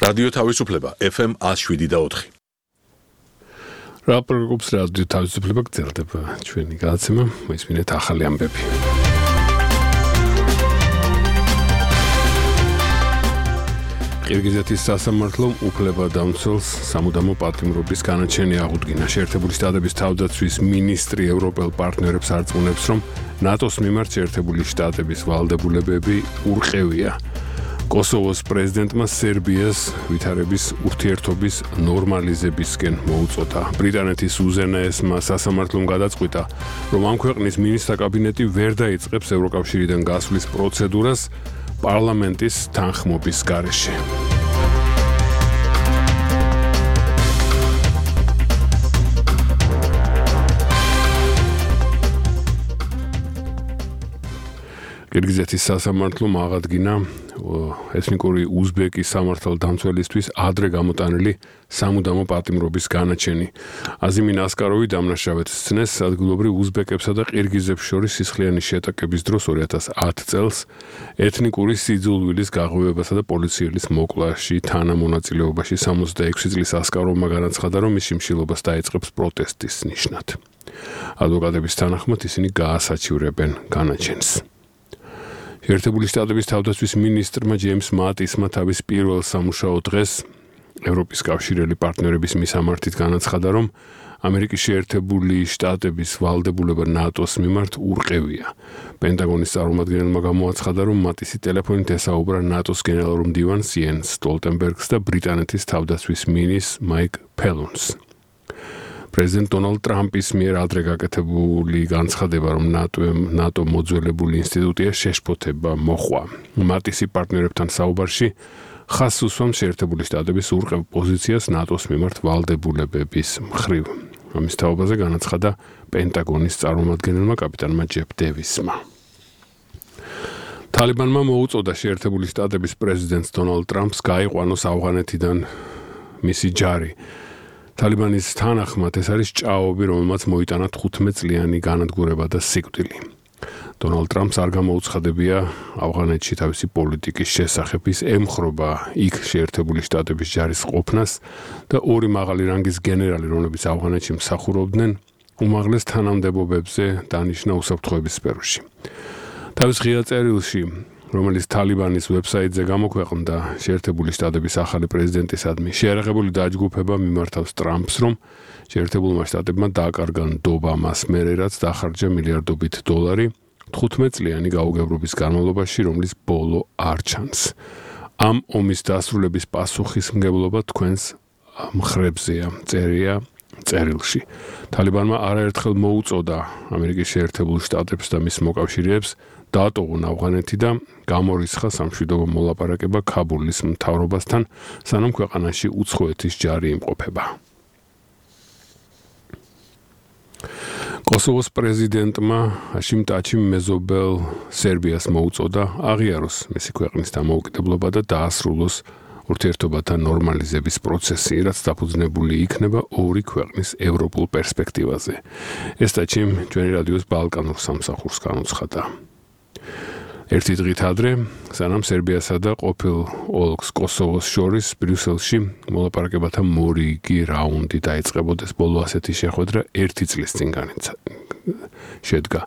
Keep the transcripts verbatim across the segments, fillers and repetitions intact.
რადიო თავისუფლება F M one oh seven და four. რაპორტობს რადიო თავისუფლება გრძელდება ჩვენი გადაცემა, მოისმინეთ ახალი ამბები. ყირგიზეთის სასამართლომ უფლებადამცველს სამუდამო პატიმრობის განაჩენი აღუდგინა. შეერთებული შტატების თავდაცვის მინისტრი ევროპელ პარტნიორებს არწმუნებს, რომ ნატოს მიმართ შეერთებული შტატების ვალდებულებები ურყევია. კოსოვოს პრეზიდენტმა სერბიას ვითარების ურთიერთობის ნორმალიზებისკენ მოუწოდა. ბრიტანეთის უზენაესმა სასამართლომ გადაწყვიტა, რომ ამ ქვეყნის მინისტრთა კაბინეტი ვერ დაიწყებს ევროკავშირიდან გასვლის პროცედურას პარლამენტის თანხმობის გარეშე. ყირგიზეთის სასამართლომ აღადგინა ეთნიკური უზბეკის სამართალდამცველისთვის ადრე გამოტანილი სამუდამო პატიმრობის განაჩენი. აზიმინ ასკაროვი დამნაშავედ სცნეს ადგილობრივ უზბეკებსა და ყირგიზებს შორის სისხლიანი შეტაკების დროს two thousand ten წელს ეთნიკური სიძულვილის გაღვივებასა და პოლიციელის მოკლაში თანამონაწილეობაში sixty-six წლის ასკაროვმა განაცხადა, რომ მის შიმშილობას დაიწყებს პროტესტის ნიშნად. ადვოკატების თანახმად ისინი გაასაჩივრებენ განაჩენს. შეერთებული შტატების თავდაცვის მინისტრმა ჯეიმს მატისმა თავის პირველ სამუშაო დღეს ევროპის კავშირელი პარტნიორების მისამართით განაცხადა, რომ ამერიკის შეერთებული შტატების ვალდებულება ნატოს მიმართ ურყევია. პენტაგონის წარმომადგენელმა გამოაცხადა, რომ მატისი ტელეფონით ესაუბრა ნატოს გენერალურ მდივანს იენს სტოლტენბერგს და ბრიტანეთის თავდაცვის მინისტრს მაიკ ფელონს. პრეზიდენტ დონალდ ტრამპის მიერ ადრე გაკეთებული განცხადება, რომ ნატო მოძველებული ინსტიტუტია შეშფოთება მოხვა. მატისი პარტნიორებთან საუბარში ხაზს უსვამს შეერთებული შტატების ურყევ პოზიციას ნატოს მიმართ ვალდებულებების მხრივ. ამის თაობაზე განაცხადა პენტაგონის წარმომადგენელმა კაპიტანმა ჯეფ დევისმა. თალიბანმა მოუწოდა შეერთებული შტატების პრეზიდენტს დონალდ ტრამპს გაიყვანოს ავღანეთიდან მისი ჯარი. თალიბანის თანახმად ეს არის ჭაობი, რომელმაც მოიტანა თხუთმეტ წლიანი განადგურება და სიკვდილი. დონალდ ტრამპს არ გამოუცხადებია ავღანეთში თავისი პოლიტიკის შესახებ, ის ემხრობა იქ შეერთებული შტატების ჯარის ყოფნას და ორი მაღალი რანგის გენერალი, რომლებიც ავღანეთში მსახურობდნენ, უმაღლეს თანამდებობებზე დანიშნა უსაფრთხოების სფეროში. თავის ღია წერილში, რომელიც თალიბანის ვებსაიტზე გამოქვეყნდა, შეერთებული შტატების ახალი პრეზიდენტისადმი შეერაღებული დაჯგუფება მიმართავს ტრამპს, რომ შეერთებულმა შტატებმა დააკარგა ნდობა მას მერე, რაც დახარჯა მილიარდობით დოლარი თხუთმეტ წლიანი გაუგებრობის განმავლობაში, რომლის ბოლო არ ჩანს. ამ ომის დასრულების პასუხისმგებლობა თქვენს მხრებზეა, წერია წერილში. თალიბანმა არაერთხელ მოუწოდა ამერიკის შეერთებულ შტატებს და მის მოკავშირეებს დაატოვონ ავღანეთი და გამორიცხა სამშვიდობო მოლაპარაკება ქაბულის მთავრობასთან, სანამ ქვეყანაში უცხოეთის ჯარი იმყოფება. კოსოვოს პრეზიდენტმა ჰაშიმ ტაჩიმ მეზობელ სერბიას მოუწოდა აღიაროს მისი ქვეყნის დამოუკიდებლობა და დაასრულოს ურთიერთობათა ნორმალიზების პროცესი, რაც დაფუძნებული იქნება ორი ქვეყნის ევროპულ პერსპექტივაზე. ეს ტაჩიმ ჩვენი რადიოს ბალკანურ სამსახურს განუცხადა. ერთი დღით ადრე, სანამ სერბიასა და ყოფილ ოლქს კოსოვოს შორის ბრიუსელში მოლაპარაკებათა მორიგი რაუნდი დაიწყებოდეს, ბოლო ასეთი შეხვედრა ერთი წლის წინ შედგა.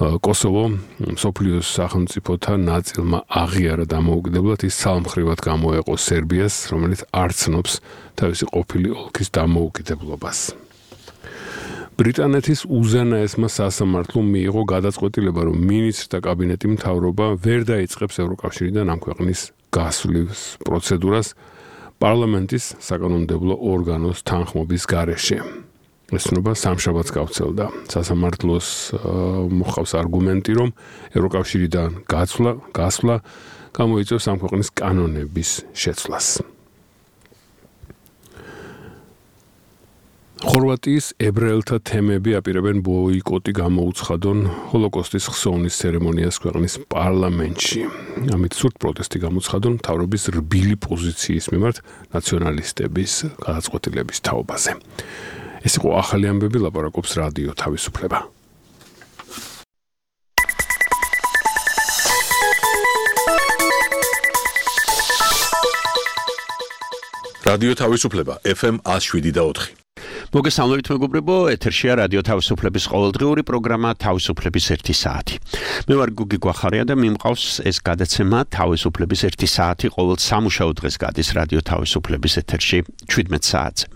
კოსოვო მსოფლიოს სახელმწიფოთა ნაწილმა აღიარა დამოუკიდებლად, ის ცალმხრივად გამოეყო სერბიას, რომელიც არ ცნობს თავისი ყოფილი ოლქის დამოუკიდებლობას. ბრიტანეთის უზენაესმა სასამართლომ მიიღო გადაწყვეტილება, რომ მინისტრთა კაბინეტი მთავრობა ვერ დაიწყებს ევროკავშირიდან ამ ქვეყნის გასვლის პროცედურას პარლამენტის საკანონმდებლო ორგანოს თანხმობის გარეშე. ეს ცნობა სამშაბათს გავრცელდა. სასამართლოს მოჰყავს არგუმენტი, რომ ევროკავშირიდან გასვლა, გასვლა გამოიწვევს ამ ქვეყნის კანონების შეცვლას. ხორვატიის ებრაელთა თემები აპირებენ ბოიკოტი გამოუცხადონ ჰოლოკოსტის ხსოვნის ცერემონიას ქვეყნის პარლამენტში. ამით სურთ პროტესტი გამოცხადონ მთავრობის რბილი პოზიციის მიმართ ნაციონალისტების გადაწყვეტილების თაობაზე. ეს იყო ახალი ამბები, ლაპარაკობს რადიო თავისუფლება. რადიო თავისუფლება ეფ ემ one oh seven point four. მოგესალმებით მეგობრებო, ეთერშია რადიო თავისუფლების ყოველდღიური პროგრამა თავისუფლების ერთი საათი. მე ვარ გუგი გვახარია და მიმყავს ეს გადაცემა თავისუფლების ერთი საათი ყოველ სამუშაო დღეს გადის რადიო თავისუფლების ეთერში seventeen საათზე.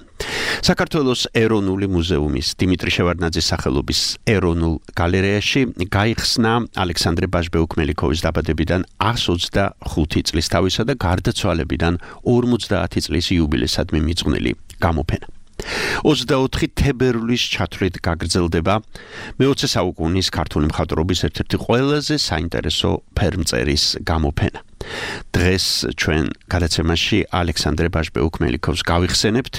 საქართველოს ეროვნული მუზეუმის დიმიტრი შევარდნაძის სახელობის ეროვნულ გალერეაში გაიხსნა ალექსანდრე ბაჟბეუქ-მელიქოვის დაბადებიდან one hundred twenty-five წლის თავისა და გარდაცვალებიდან forty წლის იუბილესად მიმიწყვნილი გამოფენა. twenty-four თებერვლის ჩათვლით გაგრძელდება მეოცე საუკუნის ქართული მხატვრობის ერთ-ერთი ყველაზე საინტერესო ფერმწერის გამოფენა. დღეს ჩვენ გადაცემაში ალექსანდრე ბაჟბეუქ-მელიქოვს გავიხსენებთ,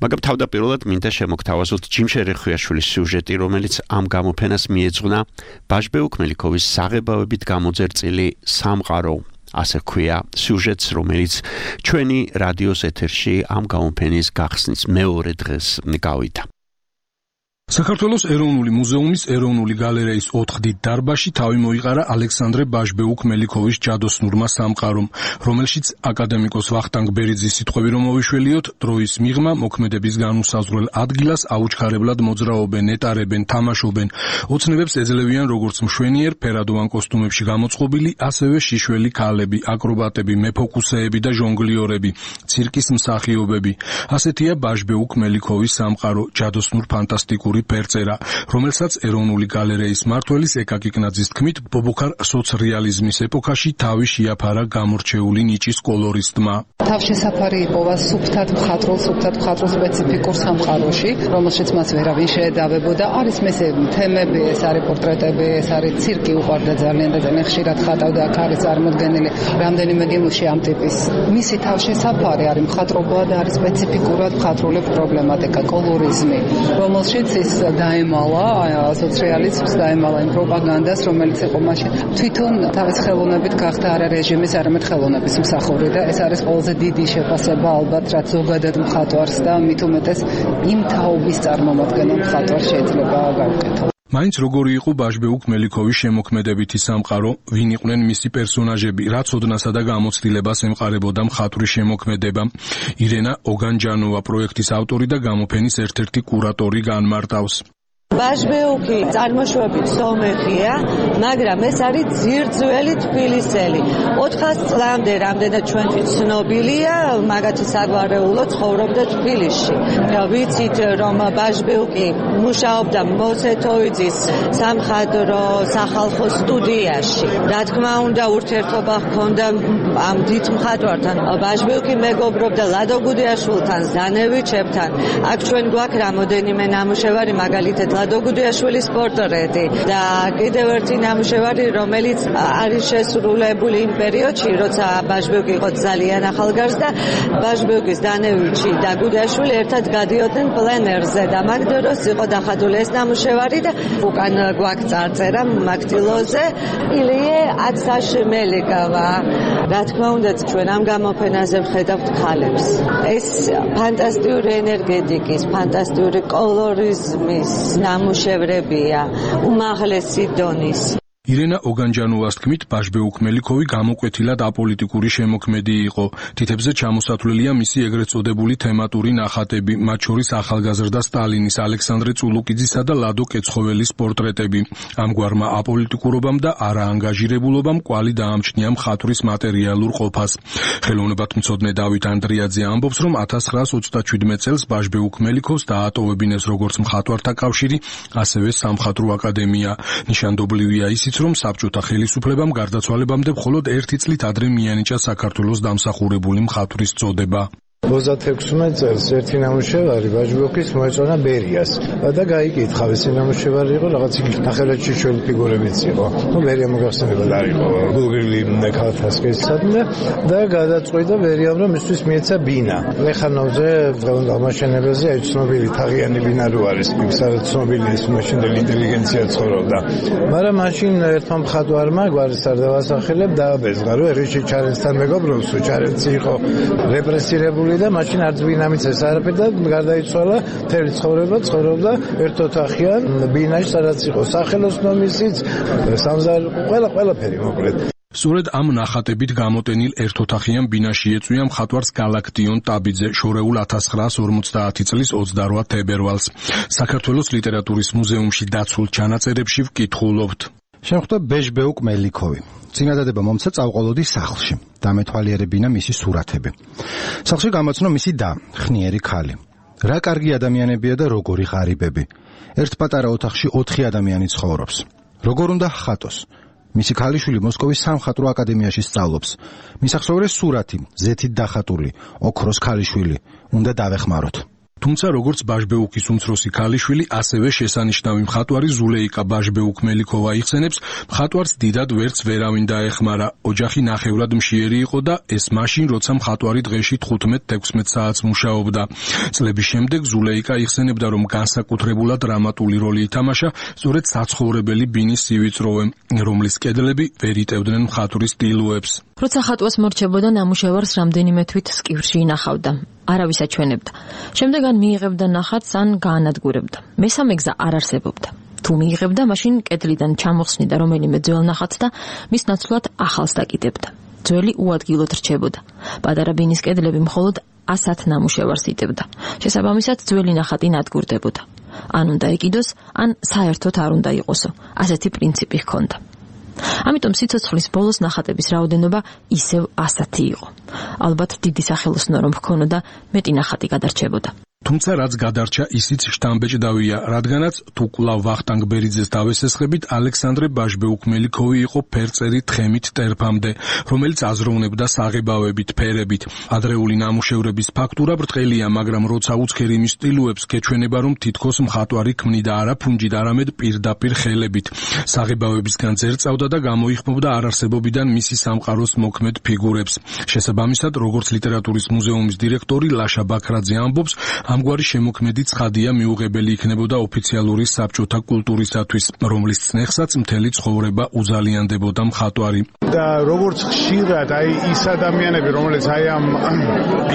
მაგრამ თავდაპირველად მინდა შემოგთავაზოთ ჯიმ შერეხვიაშვილის სიუჟეტი, რომელიც ამ გამოფენას მიეძღვნა ბაჟბეუქ-მელიქოვის საღებავებით გამოძერწილი სამყარო. ასე ქვია სიუჟეტს, რომელიც ჩვენი რადიოს ეთერში ამ გამოფენის გახსნის მეორე დღეს გავიდა. საქართველოს ეროვნული მუზეუმის ეროვნული გალერეის ოთხდით დარბაზში თავი მოიყარა ალექსანდრე ბაჟბეუქ-მელიქოვის ჯადოსნურმა სამყარომ, რომელშიც აკადემიკოს ვახტანგ ბერიძის სიტყვები რომ მოვიშველიოთ, დროის მიღმა მოქმედების განუსაზღვრელ ადგილას აუჩქარებლად მოძრაობენ, ეტარებენ, თამაშობენ, ოცნებებს ეძლევიან როგორც მშვენიერ ფერადოვან კოსტუმებში გამოწყობილი, ასევე შიშველი ქალები, აკრობატები, მეფოკუსეები და ჟონგლიორები, ცირკის მსახიობები. ასეთია ბაჟბეუქ-მელიქოვის სამყარო, ჯადოსნურ ფანტასტიკური ფერწერა, რომელსაც ეროვნული გალერეის მმართველის ეკა კიკნაძის თქმით, ბობოქარ სოცრეალიზმის ეპოქაში თავი შეაფარა გამორჩეული ნიჭის კოლორისტმა. თავშესაფარი იპოვა სუფთად მხატვრულ, სუფთად მხატვრულ სპეციფიკურ სამყაროში, რომელშიც მას ვერავინ შეედავებოდა. არის მესე თემები, ეს არის პორტრეტები, ეს არის ცირკი, უყვარდა ძალიან და ძალიან ხშირად ხატავდა, აქ არის წარმოდგენილი რამდენიმე გემუში ამ ტიპის. მისი თავშესაფარი არის მხატვრობა და არის სპეციფიკურად მხატვრული პრობლემატიკა, კოლორიზმი, რომელშიც ის დაემალა სოციალიზმს, დაემალა იმ პროპაგანდას, რომელიც იყო მაშინ თვითონ თავის ხელოვნებით გახდა არა რეჟიმის, არამედ ხელოვნების მსახური და ეს არის ყველაზე დიდი შეფასება ალბათ, რაც ზოგადად მხატვარს და მით უმეტეს იმ თაობის წარმომადგენელ მხატვარს შეიძლება გავუკეთო. მაინც როგორი იყო ბაჟბეუქ-მელიქოვის შემოქმედებითი სამყარო, ვინ იყვნენ მისი პერსონაჟები, რა ცოდნასა და გამოცდილებას ემყარებოდა მხატვრის შემოქმედება. ირენა ოგანჯანოვა პროექტის ავტორი და გამოფენის ერთ-ერთი კურატორი განმარტავს. ბაჟბეუქი წარმოშობით სომეხია, მაგრამ ეს არის ძირძველი თბილისელი. ოთხას წლამდე რამდენად ჩვენთვის ცნობილია, მაგათი საგვარეულო ცხოვრობდა თბილისში. ვიცით, რომ ბაჟბეუქი მუშაობდა მოსეთოვიძის სამხატვრო სახალხო სტუდიაში. რა თქმა უნდა, ურთიერთობა ჰქონდა ამ დიდ მხატვართან. ბაჟბეუქი მეგობრობდა ლადო გუდიაშვილთან, ზანევიჩებთან. აქ ჩვენ გვაქვს რამოდენიმე ნამუშევარი, მაგალითად ლადო გუდიაშვილის პორტრეტი და კიდევ ერთი ნამუშევარი, რომელიც არის შესრულებული იმ პერიოდში, როცა ბაჟბეუქი იყო ძალიან ახალგაზრდა, ბაჟბეუქის დანევიჩი და გუდიაშვილი ერთად გადიოდნენ პლენერზე და მაგ დროს იყო დახატული ეს ნამუშევარი და უკან გვაქვს წარწერა მაქტილოზე ილიე აცაშმელიკავა. რა თქმა უნდა, ჩვენ ამ გამოფენაზე ვხედავთ ქალებს. ეს ფანტასტიკური ენერგეტიკის, ფანტასტიკური კოლორიზმის ნამუშევრებია, უმაღლესი დონის. ირენა ოგანჯანოვას თქმით, ბაჟბეუქ-მელიქოვი გამოკვეთილად აპოლიტიკური შემოქმედი იყო. თითებზე ჩამოსათვლელია მისი ეგრეთ წოდებული თემატური ნახატები, მათ შორის ახალგაზრდა სტალინის, ალექსანდრე წულუკიძისა და ლადო კეცხოველის პორტრეტები. ამგვარმა აპოლიტიკურობამ და არაანგაჟირებულობამ კვალი დაამჩნია მხატვრის მატერიალურ ყოფას. ხელოვნებათმცოდნე დავით ანდრიაძე ამბობს, რომ one thousand nine hundred twenty-seven წელს ბაჟბეუქ-მელიქოვს დაატოვებინეს როგორც მხატვართა კავშირი, ასევე სამხატვრო აკადემია. ნიშანდობლივია ისიც, რომ საბჭოთა ხელისუფლებამ გარდაცვალებამდე მხოლოდ ერთი წლით ადრე მიანიჭა საქართველოს დამსახურებული მხატვრის წოდება. ოცდაექვსმეტ წელს ერთი ნამუშევარი ბაჟბეუქის მოეწონა ბერიას და გაიკითხა, ეს ნამუშევარი იყო რაღაც ნახევრადში ჩვენი ფიგურებიც იყო. ნუ ბერია მოგახსენებათ არ იყო გუგლი ქალთასკესადმე და გადაწყვიტა ბერიამ, რომ მისთვის მიეცა ბინა. ლეხანოვზე დღევანდელ მაშენებელზე აი ცნობილი თაღიანი ბინა რო არის, სადაც ცნობილი ის მაშინდელი ინტელიგენცია ცხოვრობდა. მაგრამ მაშინ ერთმა მხატვარმა გვარის არ დავასახელებ დააბეზღა, რომ რიში ჩარენსთან მეგობრობს, ჩარენცი იყო რეპრესირებული და მაშინ არც ბინამიც ეს არაფერი და გარდაიცვალა, მთელი ცხოვრება ცხოვრობდა ერთ ოთახიან ბინაში, სადაც იყო სახელოსნო მისიც, სამზარ, ყველა ყველაფერი მოკლედ. სწორედ ამ ნახატებით გამოტენილ ერთოთახიან ბინაში ეწვია მხატვარს გალაქტიონ ტაბიძე შორეულ ათას ცხრაას ორმოცდაათი წლის ოცდარვა თებერვალს. საქართველოს ლიტერატურის მუზეუმში დაცულ ჩანაწერებში ვკითხულობთ. შემხვდა ბეჟბეუკ მელიქოვი. წინადადება მომცა წავყოლოდი სახლში. დამეთვალიერებინა მისი სურათები. სახლში გამოცნო მისი და, ხნიერი ქალი. რა კარგი ადამიანებია და როგორი ღარიბები. ერთ პატარა ოთახში ოთხი ადამიანი ცხოვრობს. როგორ უნდა ხატოს? მისი ქალიშვილი მოსკოვის სამხატვრო აკადემიაში სწავლობს. მისახსოვრეს სურათი, ზეთით დახატული, ოქროს ქალიშვილი. უნდა დავეხმაროთ. თუმცა როგორც ბაჟბეუკის უმცროსი ქალიშვილი, ასევე შესანიშნავი მხატვარი ზულეიკა ბაჟბეუკ-მელიქოვა იხსენებს, მხატვარს დიდად ვერც ვერავინ დაეხმარა. ოჯახი ნახევრად მშიერი იყო და ეს მაშინ, როცა მხატვარი დღეში თხუთმეტ-თექვსმეტ საათს მუშაობდა. წლების შემდეგ ზულეიკა იხსენებდა, რომ განსაკუთრებულად დრამატული როლი ითამაშა სწორედ საცხოვრებელი ბინის სივიწროვე, რომლის კედლები ვერ იტევდნენ მხატვრის ტილოებს. როცა ხატვას მორჩებოდა, ნამუშევარს რამდენიმე თვით სკივერში ინახავდა. არავის აჩვენებდა. შემდეგ ან მიიღებდა ნახატს, ან გაანადგურებდა. მესამე გზა არ არსებობდა. თუ მიიღებდა, მაშინ კედლიდან ჩამოხსნიდა რომელიმე ძველ ნახატს და მის ნაცვლად ახალს დაკიდებდა. ძველი უადგილოდ რჩებოდა. პატარა ბინის კედლები მხოლოდ ასათ ნამუშევარს იტევდა. შესაბამისად, ძველი ნახატი ნადგურდებოდა. ან უნდა ეკიდოს, ან საერთოდ არ უნდა იყოსო. ასეთი პრინციპი ჰქონდა. ამიტომ სიცოცხლის ბოლოს ნახატების რაოდენობა ისევ ასათი იყო. ალბათ დიდი სახელოსნო რომ ჰქონოდა, მეტი ნახატი გადარჩებოდა. თუმცა რაც გადარჩა, ისიც შტამბეჭდავია, რადგანაც თუ კვლავ ვახტანგ ბერიძეს დავესესხებით, ალექსანდრე ბაჟბეუკ-მელიქოვი იყო ფერწერი თხემით ტერფამდე, რომელიც აზროვნებდა საღებავებით, ფერებით. ადრეული ნამუშევრების ფაქტურა ბრტყელია, მაგრამ როცა უცქერი მის სტილოებს გეჩვენება, რომ თითქოს მხატვარი ქმნიდა არა ფუნჯით, არამედ პირდაპირ ხელებით. საღებავებისგან ძერწავდა და გამოიხმობდა არარსებობიდან მისი სამყაროს მოქმედ ფიგურებს. შესაბამისად, როგორც ლიტერატურის მუზეუმის დირექტორი ლაშა ბაქრაძე ამბობს, ამგვარი შემოქმედი ცხადია მიუღებელი იქნებოდა ოფიციალური საბჭოთა კულტურისათვის, რომლის წნეხსაც მთელი ცხოვრება უზალიანდებოდა მხატვარი. და როგორც ხშირად აი ის ადამიანები, რომელიც აი ამ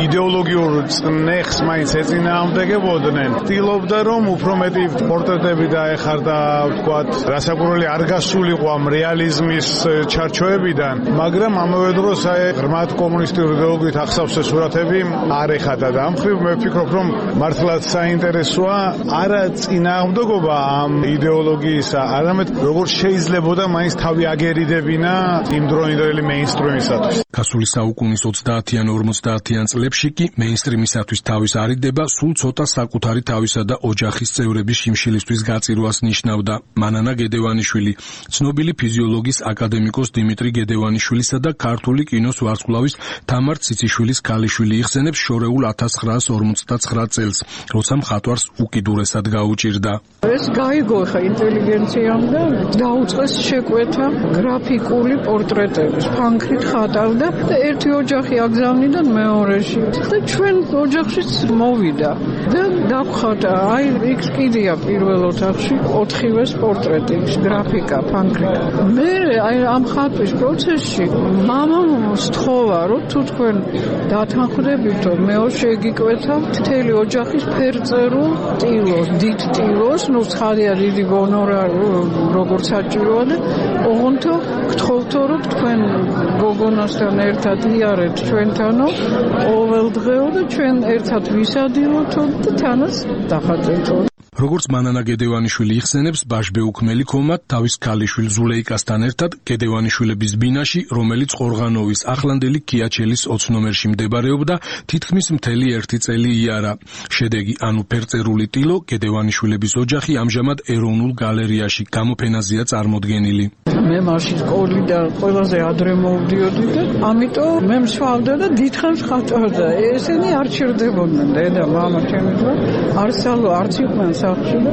იდეოლოგიურ წნეხს მაინც ეწინააღმდეგებოდნენ, ცდილობდა რომ უფრო მეტი პორტრეტები დაეხარდა, ვთქვათ, რასაკვირველი არ გასულიყო ამ რეალიზმის ჩარჩოებიდან, მაგრამ ამავე დროს აი ღრმად კომუნისტური იდეოლოგიით ახსავსე სურათები არ ეხადა და ამ მხრივ მე ვფიქრობ, რომ მართლაც საინტერესოა არა წინააღმდეგობა ამ იდეოლოგიისა, არამედ როგორ შეიძლებოდა მაინც თავი აგერიდებინა იმ დროინდელი მეინსტრიმისათვის. გასული საუკუნის ოცდაათიან ორმოცდაათიან წლებში კი მეინსტრიმისათვის თავის არიდება სულ ცოტა საკუთარი თავისა და ოჯახის წევრების შიმშილისთვის გაწირვას ნიშნავდა. მანანა გედევანიშვილი, ცნობილი ფიზიოლოგის აკადემიკოს დიმიტრი გედევანიშვილისა და ქართული კინოს ვარსკვლავის თამარ ციციშვილის ქალიშვილი იხსენებს შორეულ ათას ცხრაას ორმოცდაცხრა წელს, როცა მხატვარს უკიდურესად გაუჭირდა. ეს გაიგო ხა ინტელიგენციამ და დაუწყეს შეკვეთა გრაფიკული პორტრეტების, ფანქრით ხატავდა და ერთი ოჯახი აგზავნიდან მეორეში და ჩვენ ოჯახშიც მოვიდა და დავხატა, აი იქ კიდია პირველ ოთახში ოთხივეს პორტრეტი, გრაფიკა, ფანქრით. მე აი ამ ხატვის პროცესში მამამ სთხოვა, რომ თუ თქვენ დათანხმდებითო, მეო შეგიკვეთავთ მთელი ოჯახის ფერწერულ ტილოს, დიდ ტილოს, ну ცხადია დიდი გონორარი როგორც საჭიროა და ოღონდ გთხოვთო რომ თქვენ გოგონასთან ერთად იარეთ ჩვენთანო ყოველდღეო და ჩვენ ერთად ვისადილოთო და თანაც დახატეთო. როგორც მანანა გედევანიშვილი იხსენებს, ბაჟბეუკ-მელიქოვმა თავის ქალიშვილ ზულეიკასთან ერთად გედევანიშვილების ბინაში, რომელიც ყორღანოვის ახლანდელი ქიაჩელის ოც ნომერში მდებარეობდა, თითქმის მთელი ერთი წელი იარა. შედეგი, ანუ ფერწერული ტილო, გედევანიშვილების ოჯახი ამჟამად ეროვნულ გალერეაში გამოფენაზეა წარმოდგენილი. მე მაშინ სკოლიდან ყველაზე ადრე მოვდიოდი და ამიტომ მე მსვავდა და დიდხანს ხატავდა. ესენი არ ჩერდებოდნენ, დედა, მამა ჩემი და არცალო არც იყვნენ სახლში და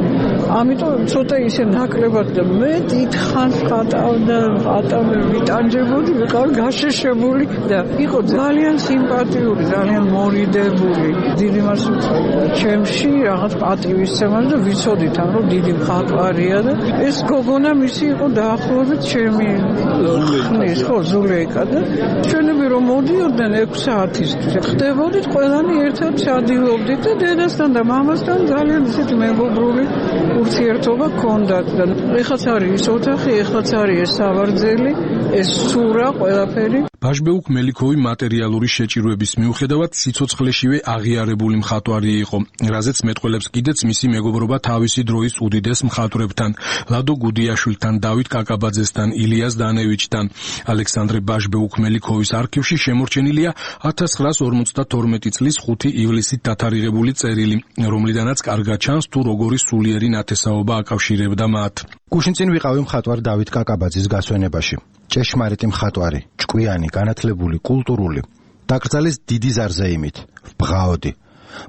ამიტომ ცოტა ისე ნაკლებად და მე დიდხანს ხატავდა, ხატავდა, ვიტანჯებოდი, ვიყავ გაშეშებული და იყო ძალიან სიმპათიური, ძალიან მორიდებული. დიდი მას უწევდა ჩემში რაღაც პატივისცემა და ვიცოდით, რომ დიდი მხატვარია და ეს გოგონა მისი იყო დაახლოებით დაახლოებით ჩემი ხნის ხო ზულეიკა და ჩვენები რომ მოდიოდნენ ექვსი საათისთვის ხდებოდით ყველანი ერთად ჩადიოდნენ და დედასთან და მამასთან ძალიან ისეთი მეგობრული ურთიერთობა ჰქონდათ და ეხაც არის ის ოთახი, ეხაც არის ეს სავარძელი, ეს სურა, ყველაფერი. ბაჟბეუკ მელიქოვი მატერიალური შეჭირვების მიუხედავად სიცოცხლეშივე აღიარებული მხატვარი იყო, რაზეც მეტყველებს კიდეც მისი მეგობრობა თავისი დროის უდიდეს მხატვრებთან, ლადო გუდიაშვილთან, დავით კაკაბაძესთან, ილიას დანევიჩთან. ალექსანდრე ბაჟბეუკ მელიქოვის არქივში შემორჩენილია ათას ცხრაას ორმოცდათორმეტი წლის ხუთი ივლისით დათარიღებული წერილი, რომლიდანაც კარგად ჩანს თუ როგორი სულიერი ნათესაობა აკავშირებდა მათ. გუშინ წინ ვიყავი მხატვარ დავით კაკაბაძის გასვენებაში. ჭეშმარიტი მხატვარი, ჭკვიანი, განათლებული, კულტურული. დაკრძალეს დიდი ზარზეიმით, ბღაოდი.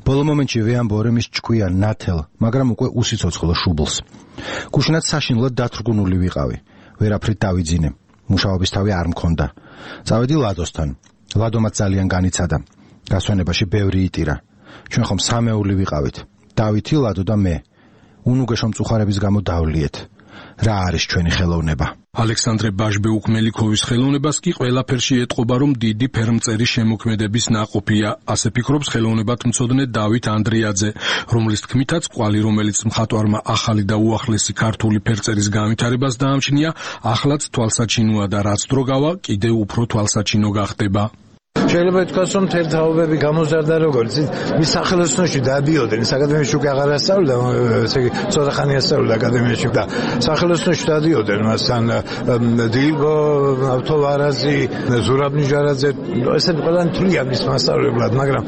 ბოლო მომენტში ვეამბორე მის ჭკვიან, ნათელ, მაგრამ უკვე უსიცოცხლო შუბლს. გუშინაც საშინლად დათრგუნული ვიყავი. ვერაფრით დავიძინე. მუშაობის თავი არ მქონდა. წავედი ლადოსთან. ლადომაც ძალიან განიცადა. გასვენებაში ბევრი იტირა. ჩვენ ხომ სამეული ვიყავით. დავითი, ლადო და მე. უნუგეშო მწუხარების გამო დავლიეთ. რა არის ჩვენი ხელოვნება? ალექსანდრე ბაჟბეუკ მელიქოვის ხელოვნებას კი ყველაფერში ეტყობა, რომ დიდი ფერმწერის შემოქმედების ნაყოფია, ასე ფიქრობს ხელოვნებათმცოდნე დავით ანდრიაძე, რომლის თქმითაც კვალი, რომელიც მხატვარმა ახალი და უახლესი ქართული ფერწერის განვითარებას დაამჩნია, ახლაც თვალსაჩინოა და რაც დრო გავა, კიდევ უფრო თვალსაჩინო გახდება. შეიძლება ითქვას, რომ მთელი თაობები გამოზარდა როგორც მის სახელოსნოში დადიოდნენ, აკადემიაში უკვე აღარ ასწავლიდა, ესე იგი ცოტა ხანი ასწავლიდა აკადემიაში და სახელოსნოში დადიოდნენ მასთან დილგო, ავთოვარაზი, ზურაბ ნიჟარაძე, ესენი ყველანი თვლიან მის მასწავლებლად, მაგრამ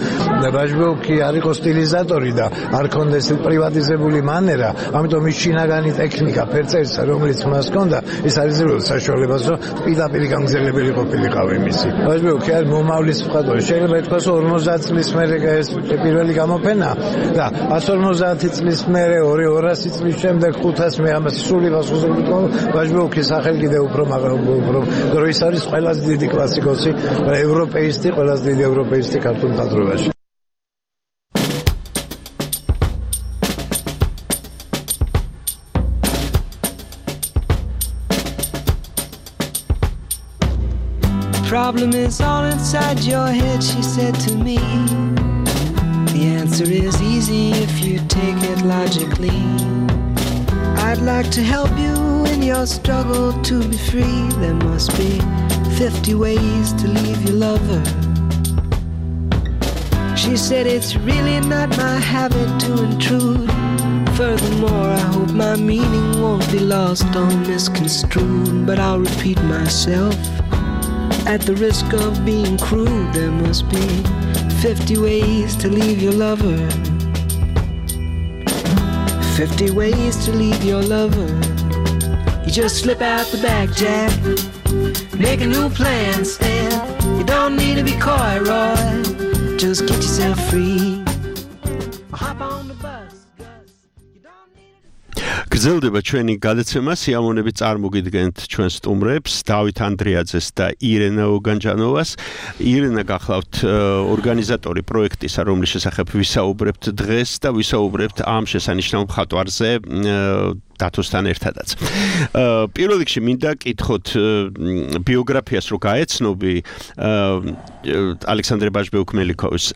ბაჟბეუკი არ იყო სტილიზატორი და არ ქონდა ეს პრივატიზებული მანერა, ამიტომ ის შინაგანი ტექნიკა ფერწერისა, რომელიც მას ჰქონდა, ის არ იძლეოდა საშუალებას, რომ პირდაპირ გამგზელებელი ყოფილიყავ იმისი. ბაჟბეუკი არის მომავლის მხატვარი, შეიძლება ითქვას ორმოცდაათ წლის მერე ეს პირველი გამოფენა და ათას ორმოცდაათი წლის მერე ორი ორასი წლის შემდეგ ხუთას მე ამას სული გასხოზებული ბაჟბეუკის სახელი კიდევ უფრო უფრო დროის არის ყველაზე დიდი კლასიკოსი, ევროპეისტი, ყველაზე დიდი ევროპეისტი ქართულ მხატვრობაში. Problem is all inside your head, she said to me. The answer is easy if you take it logically. I'd like to help you in your struggle to be free. There must be fifty ways to leave your lover. She said it's really not my habit to intrude. Furthermore, I hope my meaning won't be lost or misconstrued. But I'll repeat myself. At the risk of being crude, there must be fifty ways to leave your lover. Fifty ways to leave your lover. You just slip out the back, Jack. Make a new plan, Stan. You don't need to be coy, Roy. Just get yourself free. Hop on the bus. გრძელდება ჩვენი გადაცემა, სიამოვნებით წარმოგიდგენთ ჩვენ სტუმრებს, დავით ანდრიაძეს და ირენა ოგანჯანოვას. ირენა გახლავთ ორგანიზატორი პროექტისა, რომლის შესახებ ვისაუბრებთ დღეს და ვისაუბრებთ ამ შესანიშნავ მხატვარზე დათოსთან ერთადაც. პირველ რიგში მინდა კითხოთ ბიოგრაფიას რო გაეცნობი ალექსანდრე ბაჟბეუკ მელიქოვის.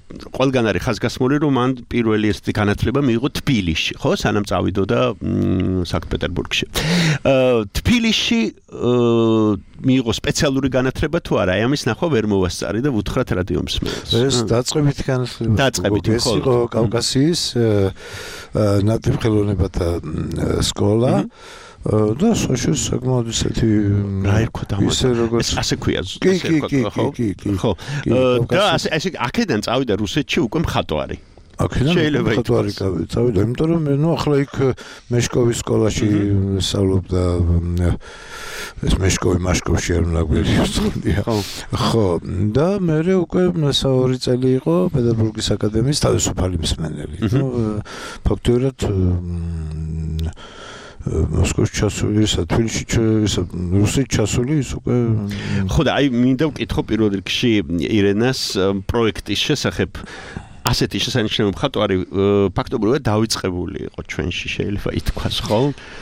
ყველგან არის ხაზგასმული, რომ მან პირველი ერთი განათლება მიიღო თბილისში, ხო, სანამ წავიდოდა სანქტ-პეტერბურგში. თბილისში მიიღო სპეციალური განათლება თუ არა? აი ამის ნახვა ვერ მოვასწარი და ვუთხრათ რადიო მსმენელს. ეს დაწყებითი განათლება. დაწყებითი, ხო. ეს იყო კავკასიის ნატიფ ხელოვნებათა სკოლა. და საშუალო საკმაოდ ისეთი რა ერქვა ისე როგორც ასე ქვია კი კი კი კი კი ხო და ასე ასე აქედან წავიდა რუსეთში უკვე მხატვარი აქედან მხატვარი წავიდა იმიტომ რომ ნუ ახლა იქ მეშკოვის სკოლაში სწავლობდა ეს მეშკოვი მაშკოვში არ მნაგვიერი სწავლია ხო და მე უკვე მესაური წელი იყო პეტერბურგის აკადემიის თავისუფალი მსმენელი ნუ ფაქტობრივად მოსკოვში ჩასული, თბილისში რუსეთში ჩასული ის უკვე ხო და აი მინდა ვკითხო პირველ რიგში ირენას პროექტის შესახებ ასეთი შესანიშნავი მხატვარი ფაქტობრივად დავიწყებული იყო ჩვენში შეიძლება ითქვას, ხო?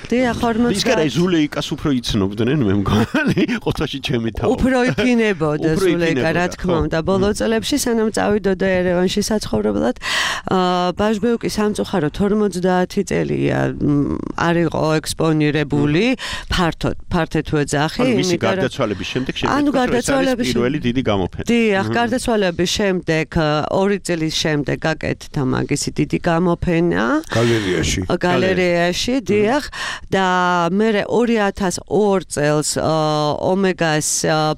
დიახ, ორმოცდაათი. ის კი ზულეიკას უფრო იცნობდნენ, მე მგონი, ყოფაში ჩემი თავი. უფრო იფინებოდა ზულეიკა, რა თქმა უნდა, ბოლო წლებში სანამ წავიდოდა ერევანში საცხოვრებლად, ბაჟბეუკი სამწუხაროდ ორმოცდაათი წელია არ იყო ექსპონირებული, ფართოდ, ფართეთ ვეძახი, ანუ მისი გარდაცვალების შემდეგ შემდეგ პირველი დიდი გამოფენა. დიახ, გარდაცვალების შემდეგ ორი წლის შემდეგ გაკეთდა მაგისი დიდი გამოფენა გალერეაში. გალერეაში, დიახ, და მე ორი ათას ორი წელს ომეგას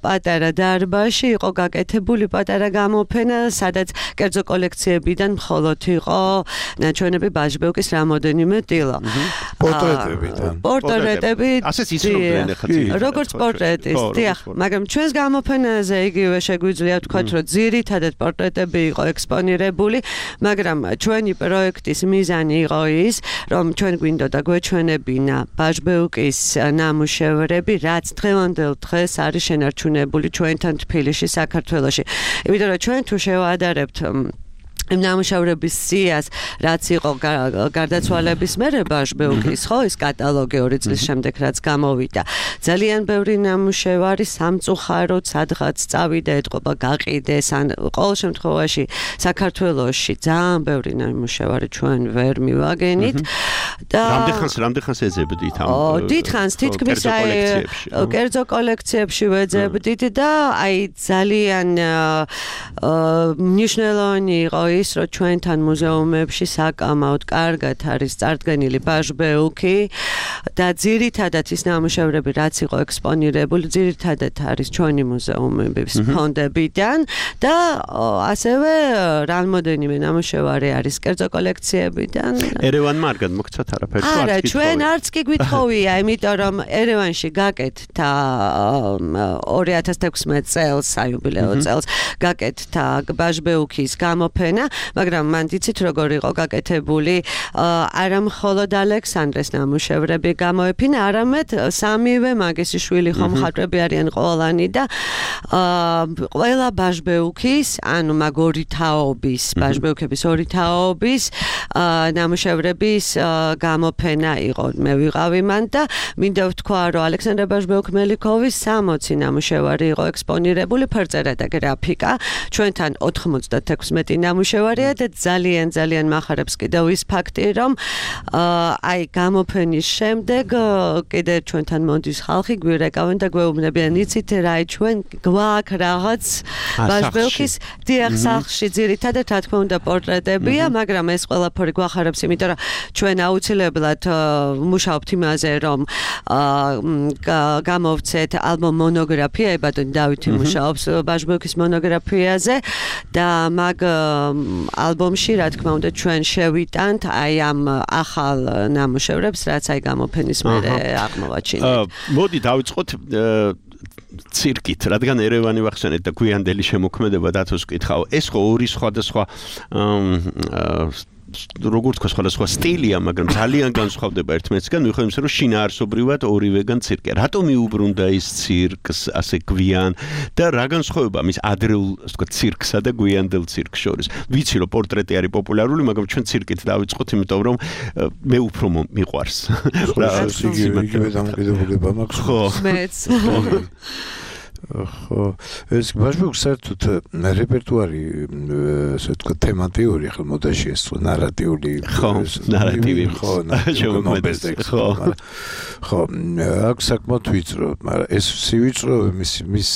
პატარა დარბაზში იყო გაკეთებული პატარა გამოფენა, სადაც კერძო კოლექციებიდან მხოლოდ იყო ნაჩვენები ბაჟბეუკის რამოდენიმე ტილო. პორტრეტებიდან. პორტრეტები. ასეც იცნობდნენ ახლა. როგორც პორტრეტის, დიახ, მაგრამ ჩვენს გამოფენაზე იგივე შეგვიძლია ვთქვათ, რომ ძირითადად პორტრეტები იყო ექსპონირებული, მაგრამ ჩვენი პროექტის მიზანი იყო ის, რომ ჩვენ გვინდოდა გვეჩვენებინა ბაჟბეუკის ნამუშევრები, რაც დღევანდელ დღეს არის შენარჩუნებული ჩვენთან თბილისში, საქართველოში. იმიტომ რომ ჩვენ თუ შევადარებთ იმ ნამუშევრების სიას, რაც იყო გარდაცვალების მერე ბაჟბეუკის, ხო, ის კატალოგი ორი წლის შემდეგ რაც გამოვიდა. ძალიან ბევრი ნამუშევარი სამწუხაროდ სადღაც წავიდა, ეთყობა, გაყიდეს, ან ყოველ შემთხვევაში საქართველოში ძალიან ბევრი ნამუშევარი ჩვენ ვერ მივაგენით. და რამდენხანს რამდენხანს ეძებდით ამ დიდხანს თითქმის აი კერძო კოლექციებში ვეძებდით და აი ძალიან მნიშვნელოვანი იყო ის, რომ ჩვენთან მუზეუმებში საკამაოდ კარგად არის წარდგენილი ბაჟბეუკი და ძირითადად ის ნამუშევრები, რაც იყო ექსპონირებული, ძირითადად არის ჩვენი მუზეუმების ფონდებიდან და ასევე რამოდენიმე ნამუშევარი არის კერძო კოლექციებიდან. ერევანმა არ გადმოგცათ არაფერს? არა, ჩვენ არც კი გვითხოვია, იმიტომ რომ ერევანში გაკეთდა ორი ათას თექვსმეტ წელს, საიუბილეო წელს გაკეთდა ბაჟბეუკის გამოფენა, მაგრამ მან იცით როგორ იყო გაკეთებული, არა მხოლოდ ალექსანდრეს ნამუშევრები გამოეფინა, არამედ სამივე მაგისი შვილი ხომ მხატვრები არიან ყველანი და ყველა ბაჟბეუკის, ანუ მაგ ორი თაობის, ბაჟბეუკების ორი თაობის ნამუშევრების გამოფენა იყო. მე ვიყავი მან და მინდა ვთქვა, რომ ალექსანდრე ბაჟბეუკ-მელიქოვის სამოცი ნამუშევარი იყო ექსპონირებული, ფერწერა და გრაფიკა, ჩვენთან ოთხმოცდათექვსმეტი ნამუშევარია და ძალიან ძალიან მახარებს კიდევ ის ფაქტი, რომ აი გამოფენის შემდეგ კიდე ჩვენთან მონდის ხალხი გვირეკავენ და გვეუბნებიან, იცით რა, ჩვენ გვაქვს რაღაც ბაჟბეუკის დიახ სახლში ძირითადად რა თქმა უნდა პორტრეტებია, მაგრამ ეს ყველაფერი გვახარებს, იმიტომ რომ ჩვენ აუცილებლად მუშაობთ იმაზე, რომ გამოვცეთ ალბომ მონოგრაფია, ებადონი დავითი მუშაობს ბაჟბეუკის მონოგრაფიაზე და მაგ ალბომში რა თქმა უნდა ჩვენ შევიტანთ აი ამ ახალ ნამუშევრებს, რაც აი გამოფენის მერე აღმოვაჩინეთ. მოდი დავიწყოთ ცირკით, რადგან ერევანი ვახსენეთ და გვიანდელი შემოქმედება დათოს ვკითხავ. ეს ხო ორი სხვადასხვა როგორც თქვა სხვადასხვა სტილია, მაგრამ ძალიან განსხვავდება ერთმანეთისგან, მიუხედავად იმისა, რომ შინაარსობრივად ორივეგან ცირკია. რატომ მიუბრუნდა ის ცირკს ასე გვიან და რა განსხვავება მის ადრეულ, ასე ვთქვათ, ცირკსა და გვიანდელ ცირკს შორის? ვიცი, რომ პორტრეტი არის პოპულარული, მაგრამ ჩვენ ცირკით დავიწყოთ, იმიტომ რომ მე უფრო მიყვარს. რა იგივე დამოკიდებულება მაქვს. ხო. მეც. ხო, ეს ბაჟბეუკს საერთოდ რეპერტუარი, ასე ვთქვათ, თემატიური, ახლა მოდაში ეს ნარატიული, ხო, ნარატივი, ხო, შემოქმედება, ხო. ხო, აქ საკმაოდ ვიწრო, მაგრამ ეს სივიწრო მის მის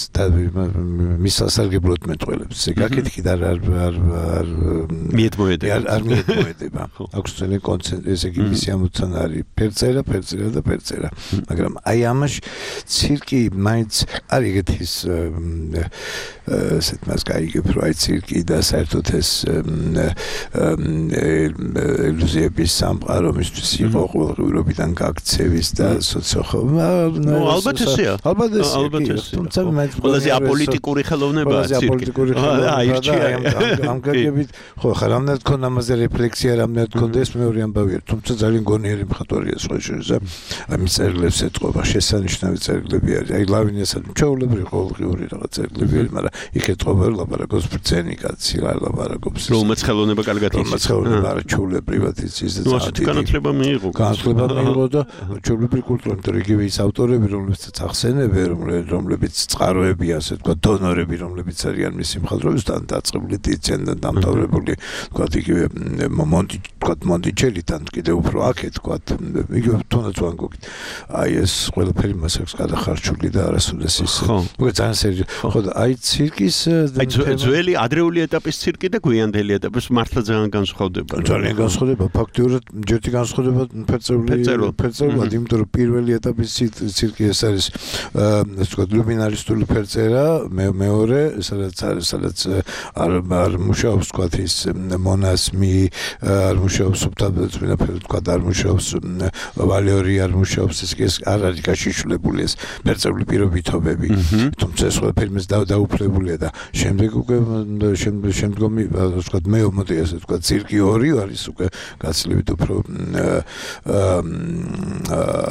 მის სასარგებლოდ მეტყველებს. ესე გაკეთქი და არ არ არ მიეთმოედება. არ მიეთმოედება. აქვს ძალიან კონცენტრირებული, ესე იგი მისი ამოცანა არის ფერწერა, ფერწერა და ფერწერა. მაგრამ აი ამაში ცირკი მაინც არის ეგეთი ის ესეთ მას გაიგებ, რომ აი ცირკი და საერთოდ ეს ილუზიების სამყარო მისთვის იყო ყოველდღიურობიდან გაქცევის და სოციო ალბათ ესეა. ალბათ ესეა. თუმცა მაინც ყველაზე აპოლიტიკური ხელოვნებაა ცირკი. აპოლიტიკური ხელოვნება ამ გაგებით, ხო, ხა რამდენად ქონ ამაზე რეფლექსია, რამდენად ქონდა ეს მეორე ამბავია, თუმცა ძალიან გონიერი მხატვარია სხვა შორის. აი მის წერილებს ეთყობა, შესანიშნავი წერილები არის. აი ლავინიასაც ჩვეულებრივ ყოველდღიური რაღაც წერილები, მაგრამ იქეთ ყოველ ლაპარაკობს ბრძენი კაცი, ლაპარაკობს. რომელმაც ხელოვნება კარგად იცის. რომელმაც ხელოვნება არა ჩულებრივად იცის და ძალიან განათლება მიიღო. განათლება მიიღო და ჩულებრივი კულტურა, იმიტომ რომ იგივე ის ავტორები, რომლებიც ახსენებენ, რომლებიც წყაროები, ასე თქვა, დონორები, რომლებიც არიან მისი მხატვრობისთან დაწყებული დიცენ და დამთავრებული, თქვა იგივე მონტი, თქვა მონტიჩელითან კიდე უფრო აქეთ, თქვა იგივე თუნდაც ვან გოგით. აი ეს ყველაფერი მას აქვს გადახარჩული და არასოდეს ის. მოგე ძალიან სერიოზული. ხო და აი ცირკის აი ძველი ადრეული ეტაპის ცირკი და გვიანდელი ეტაპის მართლა ძალიან განსხვავდება. ძალიან განსხვავდება. ფაქტიურად ჯერთი განსხვავდება ფერწერული ფერწერულად, იმიტომ რომ პირველი ეტაპის ცირკი ეს არის ასე ვთქვათ ლუმინარისტული ფერწერა, მეორე სადაც სადაც არ არ მუშაობს ვთქვათ ის მონასმი, არ მუშაობს სუბტაბეწმინდა ვთქვათ არ მუშაობს ვალიორი, არ მუშაობს ეს ეს არ არის გაშიშვლებული ეს ფერწერული პირობითობები. თუმცა ეს ყველაფერი მის დაუფლებულია და შემდეგ უკვე შემდგომი ასე ვთქვათ მეომოდი ასე ვთქვათ ცირკი ორი არის უკვე გაცილებით უფრო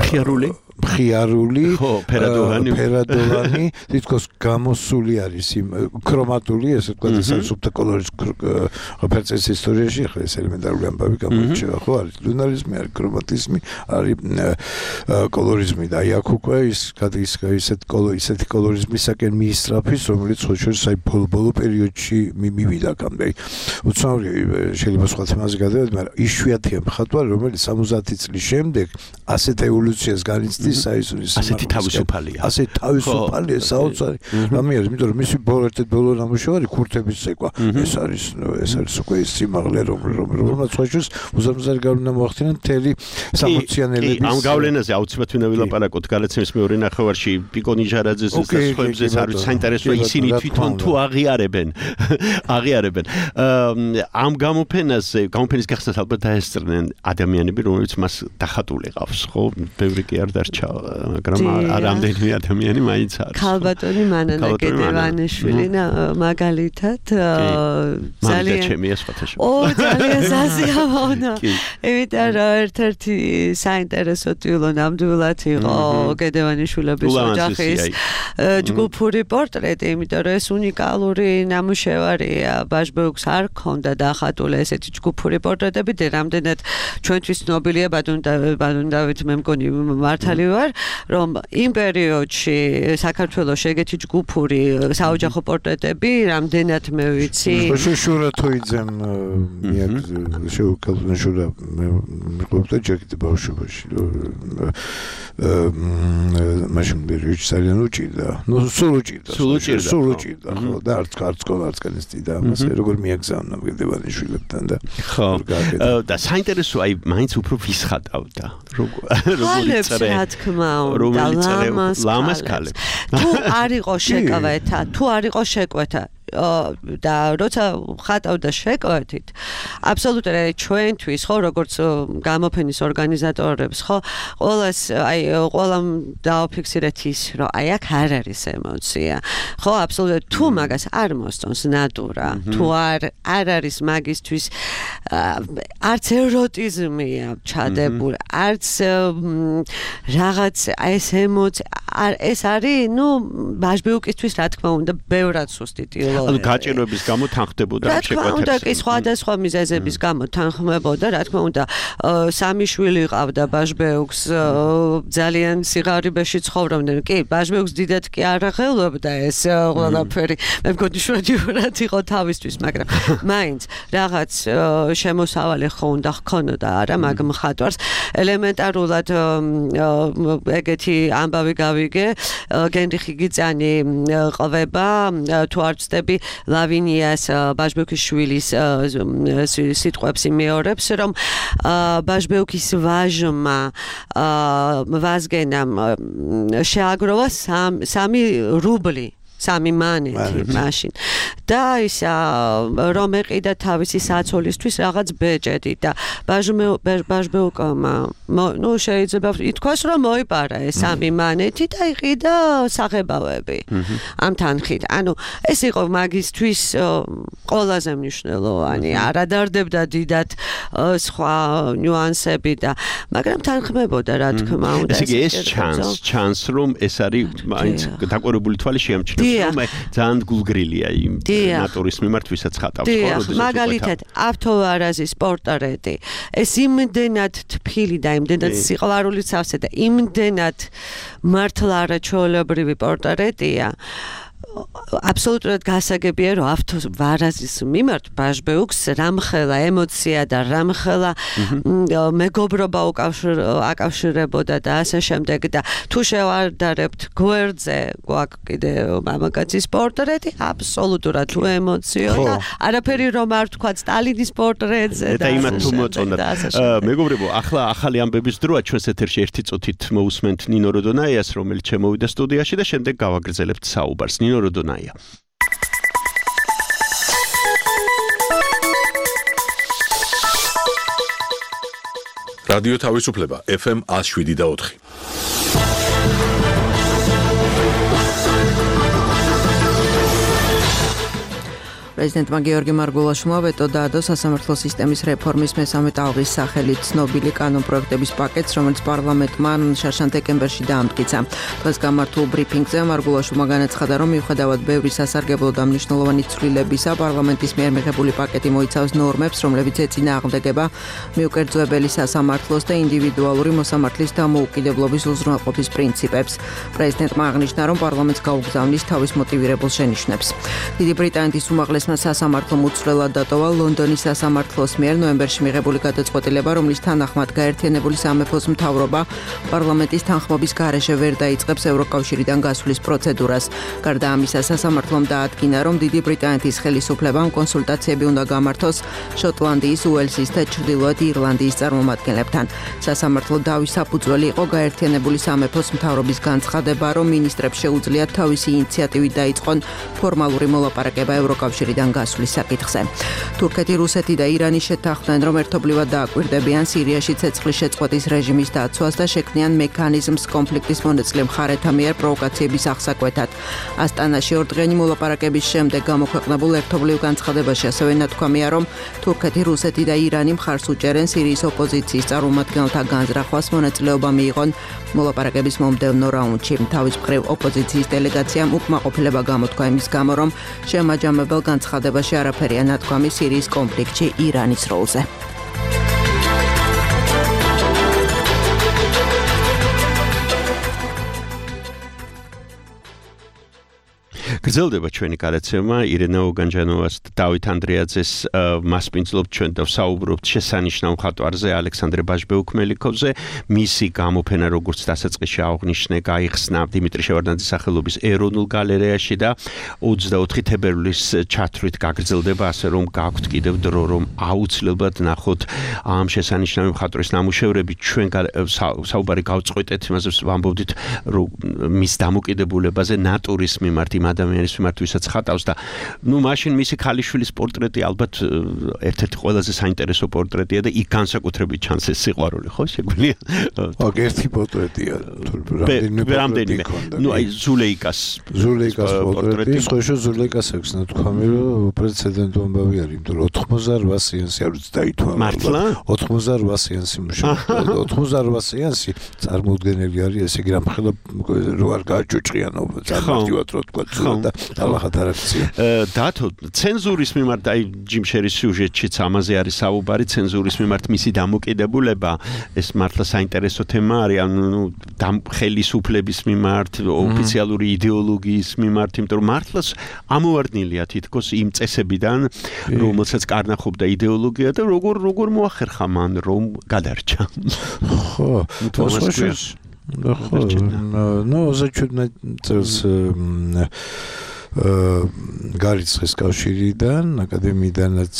ხიარული ხიარული ფერადოვანი ფერადოვანი თითქოს გამოსული არის იმ ქრომატული ესე ვთქვათ ეს არის სუბთა კოლორის ფერწერის ისტორიაში ახლა ეს ელემენტარული ამბავი გამოირჩევა ხო არის ლუნარიზმი არის ქრომატიზმი არის კოლორიზმი და აი აქ უკვე ის გადის ისეთ კოლო ისეთი კოლორიზმისაკენ მიისწრაფის რომელიც ხო შორის აი ბოლო პერიოდში მივიდა კამდე უცნაური შეიძლება სხვა თემაზე გადავიდეთ მაგრამ იშვიათია მხატვარი რომელიც სამოცი წლის შემდეგ ასეთ ევოლუციას განიცდის ასეთი თავისუფალია. ასეთი თავისუფალია საოცარი. რამე არის, იმიტომ რომ მისი ბოლო ერთ-ერთი ბოლო ნამუშევარი ქურთების ცეკვა. ეს არის ეს არის უკვე ის სიმაღლე რომელმაც ხოჭოს უზარმაზარი გავლენა მოახდინა მთელი სამოციანელების. ამ გავლენაზე აუცილებლად ვინა ვილაპარაკოთ გადაცემის მეორე ნახევარში პიკო ნიჟარაძეს და სხვაებზეც არის საინტერესო ისინი თვითონ თუ აღიარებენ აღიარებენ ამ გამოფენაზე გამოფენის გახსნას ალბათ დაესწრნენ ადამიანები რომლებიც მას დახატული ყავს ხო ბევრი კი არ დარჩა მაგრამ რამდენიმე ადამიანი მაინც არის. ქალბატონი მანანა გედევანიშვილი მაგალითად ძალიან ჩემია სხვათაშორის. ო ძალიან საზიამოვნა. იმიტომ რომ ერთ-ერთი საინტერესო ტილო ნამდვილად იყო გედევანიშვილების ოჯახის ჯგუფური პორტრეტი, იმიტომ რომ ეს უნიკალური ნამუშევარია. ბაჟბეუქს არ ქონდა დახატული ესეთი ჯგუფური პორტრეტები და რამდენად ჩვენთვის ცნობილია ბადუნდავით მე მგონი მართალი ვარ, რომ იმ პერიოდში საქართველოს ეგეთი ჯგუფური საოჯახო პორტრეტები რამდენად მე ვიცი. შურა თოიძემ შეუკალნა შურა მეყობდა ჯერ ბავშვობაში. მაშინ ბერიოდში ძალიან უჭირდა. ნუ სულ უჭირდა. სულ უჭირდა. სულ უჭირდა. ხო და არც არც სკოლა არც კანისტი და ამას როგორ მიაგზავნა გედევანიშვილებთან და ხო და საინტერესო აი მაინც უფრო ვისხატავდა. როგორ როგორ რა თქმა უნდა ლამას ქალებს თუ არ იყო შეკავეთა თუ არ იყო შეკვეთა და როცა ხატავდა შეკვეთით აბსოლუტურად ჩვენთვის ხო როგორც გამოფენის ორგანიზატორებს ხო ყოველას აი ყველამ დააფიქსირეთ ის რომ აი აქ არ არის ემოცია ხო აბსოლუტურად თუ მაგას არ მოსწონს ნატურა თუ არ არ არის მაგისთვის არც ეროტიზმია ჩადებული არც რაღაც ეს ემოცია ეს არის ნუ ბაჟბიუკისთვის რა თქმა უნდა ბევრად სუსტი ტილო ანუ გაჭირვების გამო თანხდებოდა ამ შეკვეთებს. რა თქმა უნდა, კი სხვადასხვა მიზეზების გამო თანხმდებოდა, რა თქმა უნდა, სამი შვილი ყავდა ბაჟბეუქს, ძალიან სიღარიბეში ცხოვრობდნენ. კი, ბაჟბეუქს დიდად კი არ აღელვებდა ეს ყველაფერი. მე მგონი შვედიურად იყო თავისთვის, მაგრამ მაინც რაღაც შემოსავალი ხო უნდა ჰქონოდა არა მაგ მხატვარს. ელემენტარულად ეგეთი ამბავი გავიგე, გენრიხი გიწანი ყვება, თუ არ ვცდები ლავინიას ბაჟბეუქის შვილის სიტყვებს იმეორებს, რომ ბაჟბეუქის ვაჟმა ვაზგენამ შეაგროვა სამი რუბლი, სამი მანეთი მაშინ. და ისა რომ ეყიდა თავისი საცოლისთვის რაღაც ბეჭედი და ბაჟბეუკმა ნუ შეიძლება ითქვას რომ მოიპარა ეს სამი მანეთი და იყიდა საღებავები ამ თანხით. ანუ ეს იყო მაგისთვის ყველაზე მნიშვნელოვანი. არადარდებდა დიდად სხვა ნიუანსები და მაგრამ თანხმებოდა რა თქმა უნდა. ეს იგი ეს ჩანს ჩანს რომ ეს არის მაინც დაკვირვებული თვალი შეამჩნევს რომ ძალიან გულგრილია იმ ნატურის მიმართ ვისაც ხატავს ხო როდესაც მაგალითად ავთოვარაზის პორტრეტი ეს იმდენად თბილი და იმდენად სიყვარულით სავსე და იმდენად მართლა არაჩვეულებრივი პორტრეტია აბსოლუტურად გასაგებია რომ ავთოვარაზის მიმართ ბაჟბეუკს რამხელა ემოცია და რამხელა მეგობრობა აკავშირებოდა და ასე შემდეგ და თუ შევადარებთ გვერდზე გვაქვს კიდე მამაკაცის პორტრეტი აბსოლუტურად თუ ემოციო და არაფერი რომ არ თქვა სტალინის პორტრეტზე და იმათ თუ მოწონათ მეგობრებო ახლა ახალი ამბების დროა ჩვენს ეთერში ერთი წუთით მოусმენთ ნინო როდონაიას რომელიც შემოვიდა სტუდიაში და შემდეგ გავაგრძელებთ საუბარს ნინო როდონაია რადიო თავისუფლება ეფ ემ one oh seven point four პრეზიდენტმა გიორგი მარგულაშვილმა ვეტო დაადო სასამართლო სისტემის რეფორმის მესამე ტალღის სახელით ცნობილი კანონპროექტების პაკეტს, რომელიც პარლამენტმა შარშან დეკემბერში დაამტკიცა. დღეს გამართულ ბრიფინგზე მარგულაშვილმა განაცხადა, რომ მიუხედავად ბევრი სასარგებლო და მნიშვნელოვანი ცვლილებისა, პარლამენტის მიერ მიღებული პაკეტი მოიცავს ნორმებს, რომლებიც ეწინააღმდეგება მიუკერძოებელი სასამართლოს და ინდივიდუალური მოსამართლის დამოუკიდებლობის უზრუნველყოფის პრინციპებს. პრეზიდენტმა აღნიშნა, რომ პარლამენტს გაუგზავნის თავის მოტივირებულ შენიშვნებს. დიდი ბრიტანეთის უმაღლეს სასამართლომ უცვლელად დატოვა ლონდონის სასამართლოს მიერ ნოემბერში მიღებული გადაწყვეტილება, რომლის თანახმად გაერთიანებული სამეფოს მთავრობა პარლამენტის თანხმობის გარეშე ვერ დაიწყებს ევროკავშირიდან გასვლის პროცედურას. გარდა ამისა, სასამართლომ დაადგინა, რომ დიდი ბრიტანეთის ხელისუფლებამ კონსულტაციები უნდა გამართოს შოტლანდიის, უელსის და ჩრდილოეთ ირლანდიის წარმომადგენლებთან. სასამართლო დავის საფუძველი იყო გაერთიანებული სამეფოს მთავრობის განცხადება, რომ მინისტრებს შეუძლიათ თავისი ინიციატივით დაიწყონ ფორმალური მოლაპარაკება ევროკავშირიდან გასვლის საკითხზე. თურქეთი, რუსეთი და ირანი შეთანხმდნენ, რომ ერთობლივად დააკვირდებიან სირიაში ცეცხლის შეწყვეტის რეჟიმის დაცვას და შექმნიან მექანიზმს კონფლიქტის მონაწილე მხარეთა მიერ პროვოკაციების აღსაკვეთად. ასტანაში ორდღიანი მოლაპარაკების შემდეგ გამოქვეყნებულ ერთობლივ განცხადებაში ასევე ნათქვამია, რომ თურქეთი, რუსეთი და ირანი მხარს უჭერენ სირიის ოპოზიციის წარმომადგენელთა განზრახვას, მონაწილეობა მიიღონ მოლაპარაკების მომდევნო რაუნდში. თავის მხრივ ოპოზიციის დელეგაციამ უკმაყოფილება გამოთქვა იმის გამო, რომ შემაჯამებელ განცხადებაში არაფერია ნათქვამი სირიის კონფლიქტში ირანის როლზე. გრძელდება ჩვენი გადაცემა ირენა ოგანჯანოვას და დავით ანდრეაძეს მასპინძლობთ ჩვენ და ვსაუბრობთ შესანიშნავ მხატვარზე ალექსანდრე ბაჟბეუკ-მელიქოვზე. მისი გამოფენა როგორც დასაწყისში აღნიშნე გაიხსნა დიმიტრი შევარდნაძის სახელობის ეროვნულ გალერეაში და ოცდაოთხი თებერვლის ჩათვლით გაგრძელდება, ასე რომ გაქვთ კიდევ დრო რომ აუცილებლად ნახოთ ამ შესანიშნავი მხატვრის ნამუშევრები. ჩვენ საუბარი გავწყვეტეთ, იმაზე ვამბობდით რომ მის დამოკიდებულებაზე ნატურის მიმართ იმ ადამიანის მიმართ ვისაც ხატავს და ნუ მაშინ მისი ქალიშვილის პორტრეტი ალბათ ერთ-ერთი ყველაზე საინტერესო პორტრეტია და იქ განსაკუთრებით ჩანს ეს სიყვარული, ხო, შეგვიძლია? ოკ, ერთი პორტრეტია, რამდენიმე. ნუ აი ზულეიკას ზულეიკას პორტრეტი, სხვა ზულეიკას აქვს ნათქვამი, რომ პრეცედენტო ამბავი არის, იმიტომ რომ ოთხმოცდაოთხ სეანსი არ ვიცი დაითვალა. მართლა? ოთხმოცდაოთხ სეანსი მუშაობდა. ოთხმოცდაოთხ სეანსი წარმოუდგენელი არის, ესე იგი რამხელა რო არ გააჭუჭყიანო, წარმართივად რო თქვა და ალახად არ აქცია. დათო, ცენზურის მიმართ აი ჯიმ შერის სიუჟეტშიც ამაზე არის საუბარი, ცენზურის მიმართ მისი დამოკიდებულება, ეს მართლა საინტერესო თემა არის, ანუ ხელისუფლების მიმართ, ოფიციალური იდეოლოგიის მიმართ, იმიტომ რომ მართლაც ამოვარდნილია თითქოს იმ წესებიდან, რომელსაც კარნახობდა იდეოლოგია და როგორ როგორ მოახერხა მან რომ გადარჩა. ხო, ხო, ну, за чудно, გარიცხეს კავშირიდან, აკადემიიდანაც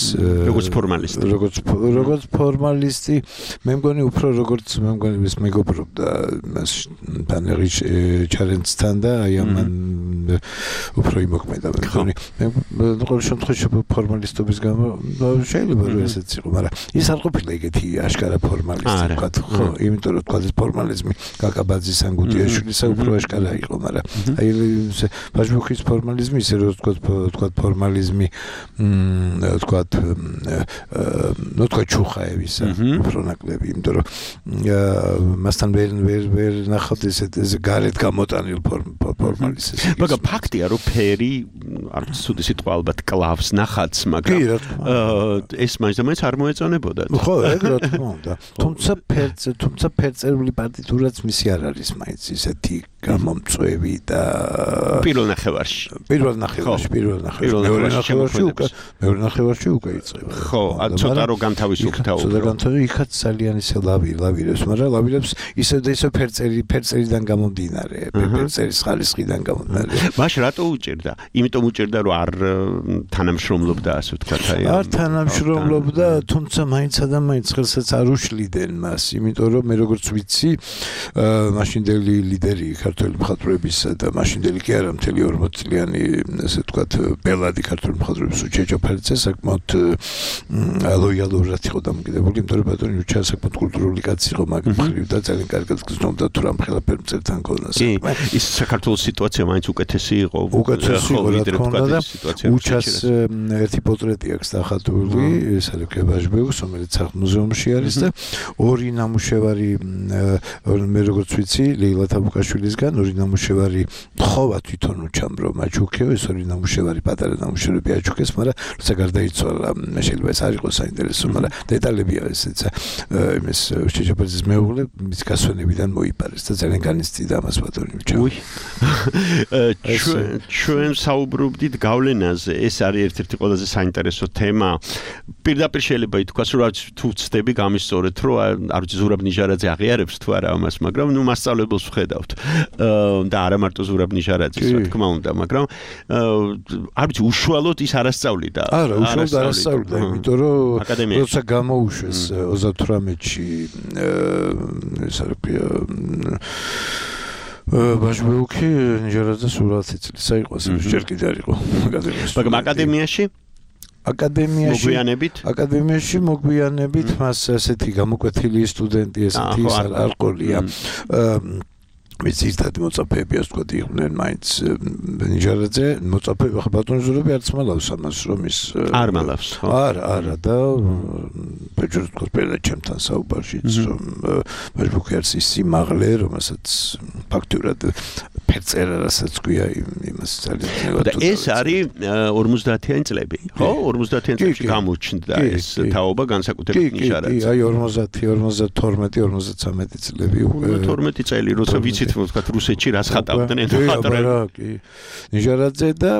როგორც ფორმალისტი. როგორც როგორც ფორმალისტი, მე მგონი უფრო როგორც მე მგონი ეს მეგობრობდა მას ბანერი ჩარენცთან და აი ამან უფრო იმოქმედა მე მგონი. მე ყოველ შემთხვევაში ფორმალისტობის გამო შეიძლება რომ ესეც იყო, მაგრამ ის არ ყოფილა ეგეთი აშკარა ფორმალისტი თქვა, ხო, იმიტომ რომ თქვა ეს ფორმალიზმი კაკაბაძის ან გუდიაშვილისა უფრო აშკარა იყო, მაგრამ აი ბაჟბუქის ფორმალიზმი ისე რომ თქვა თქვა ფორმალიზმი თქვა ნუ თქვა ჩუხაევისა უფრო ნაკლები, იმიტომ რომ მასთან ვერ ვერ ვერ ნახავთ ეს გარეთ გამოტანილ ფორმალიზმს. მაგრამ ფაქტია რომ ფერი არც ცუდი სიტყვა ალბათ კლავს ნახატს, მაგრამ ეს მაინც არ მოეწონებოდა. ხო, ეგ რა თქმა უნდა. თუმცა ფერც თუმცა ფერწერული პარტიტურაც მისი არ არის მაინც ისეთი გამომწვევი და პირველ ნახევარში. პირველ ნახევარში, პირველ ნახევარში. მეორე ნახევარში უკვე, მეორე ნახევარში უკვე იწყება. ხო, ცოტა რო განთავისუფლდა უკვე. ცოტა განთავისუფლდა, იქაც ძალიან ისე ლავი, ლავირებს, მაგრამ ლავირებს ისე და ისე ფერწერი, ფერწერიდან გამომდინარე, ფერწერის ხარისხიდან გამომდინარე. მაშ რატო უჭირდა? იმიტომ უჭირდა რომ არ თანამშრომლობდა, ასე ვთქვათ, აი. არ თანამშრომლობდა, თუმცა მაინცა და მაინც ხელსაც არ უშლიდნენ მას, იმიტომ რომ მე როგორც ვიცი, მაშინდელი ლიდერი ქართული მხატვრებისა და მაშინდელი კი არა მთელი ორმოც წლიანი ასე ვთქვათ ბელადი ქართული მხატვრების უჩეჩო ფერცე საკმაოდ ლოიალურად იყო დამოკიდებული, იმიტომ რომ ბატონი უჩა საკმაოდ კულტურული კაცი იყო მაგ მხრივ და ძალიან კარგად გზნობდა თუ რამ ხელაფერ მწერთან ქონდა საქმე. ის საქართველოს სიტუაცია მაინც უკეთესი იყო. უკეთესი იყო რა თქმა უნდა და უჩას ერთი პორტრეტი აქვს დახატული, ეს არის კებაჟბეუს, რომელიც სახლ-მუზეუმში არის და ორი ნამუშევარი მე როგორც ვიცი ლეილა თაბუკაშვილისგან ორი ნამუშევარი თხოვა თვითონ უჩამბრო მაჩუქეო, ეს ორი ნამუშევარი პატარა ნამუშევრები აჩუქეს, მაგრამ როცა გარდაიცვალა შეიძლება ეს არ იყოს საინტერესო, მაგრამ დეტალებია ესეც იმის შეჭაპაძის მეუღლე მის გასვენებიდან მოიპარეს და ძალიან განიცდიდა ამას ბატონი უჩა. ჩვენ საუბრობდით გავლენაზე, ეს არის ერთ-ერთი ყველაზე საინტერესო თემა. პირდაპირ შეიძლება ითქვას, რომ თუ ვცდები გამისწორეთ, რომ არ ვიცი ზურაბ ნიჟარაძე აღიარებს თუ არა ამას, მაგრამ ნუ მასწავლებელს ვხედავთ. და არა მარტო ზურაბ ნიჟარაძის, რა თქმა უნდა, მაგრამ არ ვიცი უშუალოდ ის არასწავლიდა. არა, უშუალოდ არასწავლიდა, იმიტომ რომ როცა გამოუშვეს ოცდათვრამეტში ეს არის ბაჟბეუქი ნიჟარაძე სურათი წლის აიყო, ჯერ კიდე არ იყო აკადემიაში. მაგრამ აკადემიაში აკადემიაში მოგვიანებით აკადემიაში მოგვიანებით მას ასეთი გამოკვეთილი სტუდენტი ესეთი არ ყოლია. მის ერთად მოწაფეები ასე ვთქვათ იყვნენ მაინც ნიჟარაძე მოწაფეები ხა ბატონი ზურაბი არც მალავს ამას რომ ის არ მალავს ხო არა არა და ბეჭდს თქოს პერლა ჩემთან საუბარშიც რომ ბაჟბუქი არის ის სიმაღლე რომელსაც ფაქტურად ფერწერა რასაც ქვია იმას ძალიან და ეს არის ორმოცდაათიანი წლები ხო ორმოცდაათიანი წლებში გამოჩნდა ეს თაობა განსაკუთრებით ნიჟარაძე აი ორმოცდაათი ორმოცდათორმეტი ორმოცდათვრამეტი წლები უკვე თორმეტი წელი როცა ვიცით ვთქვათ რუსეთში რას ხატავდნენ ხატრები ნიჟარაძე და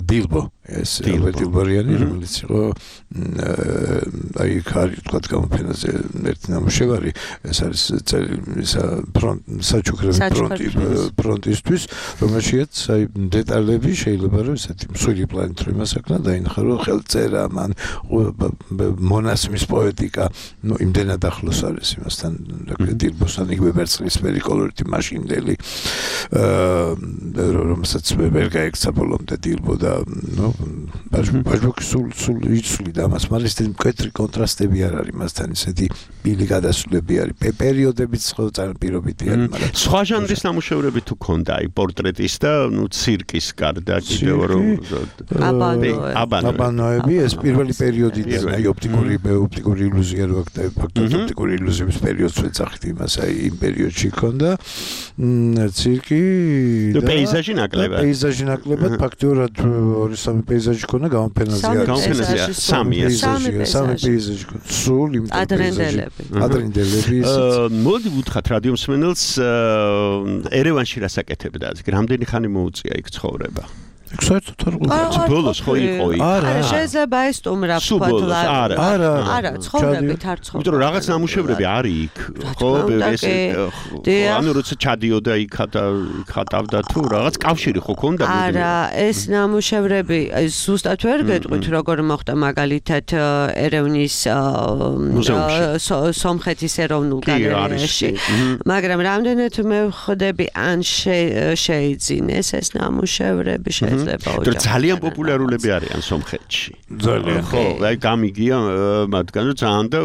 დილბო ეს დილბორიანი რომელიც იყო აი ქარი ვთქვათ გამოფენაზე ერთი ნამუშევარი ეს არის ისა საჩუქრები ფრონტი ფრონტისთვის რომელშიც აი დეტალები შეიძლება რომ ესეთი მსხვილი პლანით რომ იმასაკნა დაინახა რომ ხელწერა მან მონასმის პოეტიკა ნუ იმდენად ახლოს არის იმასთან დილბოსთან იგივე ვერცხლისფერი კოლორიტი მაშინდელი რომელსაც ვერ გაექცა ბოლომდე დილბო და ნუ ბაჟბუქი სულ სულ იცვლიდა მას, მაგრამ ეს მკვეთრი კონტრასტები არ არის მასთან, ისეთი ბილი გადასვლები არის, პერიოდებიც ძალიან პირობითი არის, მაგრამ სხვა ჟანრის ნამუშევრები თუ ქონდა, აი პორტრეტის და ნუ ცირკის გარდა კიდევ რომ აბანოები, ეს პირველი პერიოდიდან, აი ოპტიკური ოპტიკური ილუზია რო აქ ფაქტობრივად ოპტიკური ილუზიების პერიოდს ვეძახით იმას, აი იმ პერიოდში ქონდა ცირკი და პეიზაჟი ნაკლებად. პეიზაჟი ნაკლებად ფაქტობრივად ორი სამი პეიზაჟი ქონდა გამოფენაზე არის. გამოფენაზე სამი სამი პეიზაჟი სულ იმ ადრინდელები. ადრინდელები. მოდი ვუთხრათ რადიო მსმენელს ერევანში რას აკეთებდა? რამდენი ხანი მოუწია იქ ცხოვრება? საერთოდ არ ყოფილა. ბოლოს ხო იყო იქ. არა, შეიძლება ეს სტუმრა ვთქვათ. არა, არა. არა, ცხოვრებით არ ცხოვრობ. იმიტომ რომ რაღაც ნამუშევრები არის იქ. ხო, ეს ანუ როცა ჩადიოდა იქ ხატავდა თუ რაღაც კავშირი ხო ქონდა? არა, ეს ნამუშევრები ზუსტად ვერ გეტყვით როგორ მოხდა მაგალითად ერევნის სომხეთის ეროვნულ გალერეაში. მაგრამ რამდენად მე ვხვდები ან შეიძინეს ეს ნამუშევრები შეიძლება ოჯახი. ძალიან პოპულარულები არიან სომხეთში. ძალიან. ხო, აი გამიგია მათგან რომ ძალიან და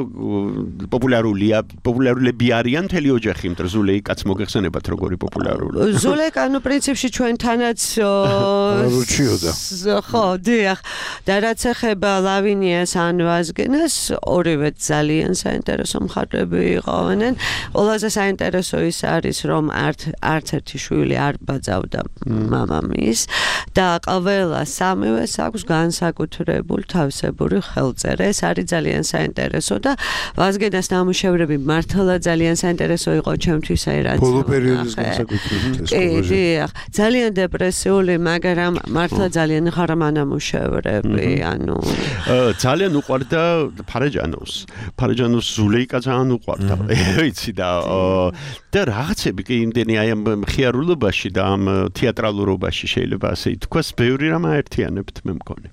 პოპულარულია, პოპულარულები არიან მთელი ოჯახი, იმიტომ რომ ზულეი კაც მოგეხსენებათ როგორი პოპულარულია. ზულეი ანუ პრინციპში ჩვენთანაც რუჩიოდა. ხო, დიახ. და რაც ეხება ლავინიას ან ვაზგენას, ორივე ძალიან საინტერესო მხარეები იყვნენ. ყველაზე საინტერესო ის არის, რომ არც არც ერთი შვილი არ ბაძავდა მამამის და ყველა სამივეს აქვს განსაკუთრებული თავისებური ხელწერა. ეს არის ძალიან საინტერესო და ვაზგენას ნამუშევრები მართლა ძალიან საინტერესო იყო ჩემთვის, აი რაც ბოლო პერიოდის განსაკუთრებით ეს პროჟე. ძალიან დეპრესიული, მაგრამ მართლა ძალიან ღრმა ნამუშევრები, ანუ ძალიან უყვარდა ფარეჯანოვს. ფარეჯანოვს ზულეიკა ძალიან უყვარდა. ვიცი და და რაღაცები კი იმდენი აი ამ მხიარულობაში და ამ თეატრალურობაში შეიძლება ასე ითქვას, ბევრი რამ აერთიანებთ მე მგონი.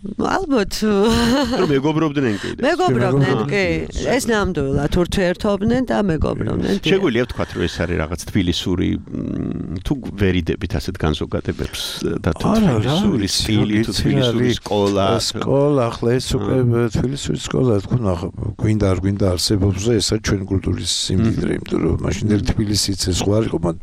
ალბათ მეგობრობდნენ კი და მეგობრობდნენ კი ეს ნამდვილად ურთიერთობდნენ და მეგობრობდნენ. შეგვიძლია ვთქვათ რომ ეს არის რაღაც თბილისური თუ ვერიდებით ასეთ განზოგადებებს და თბილისური სტილი თუ თბილისური სკოლა სკოლა ახლა ეს უკვე თბილისური სკოლა თქვა გვინდა არ გვინდა არსებობს და ესა ჩვენ კულტურის სიმდიდრე, იმიტომ რომ მაშინ ერთ თბილისიც ეს სხვა იყო მანდ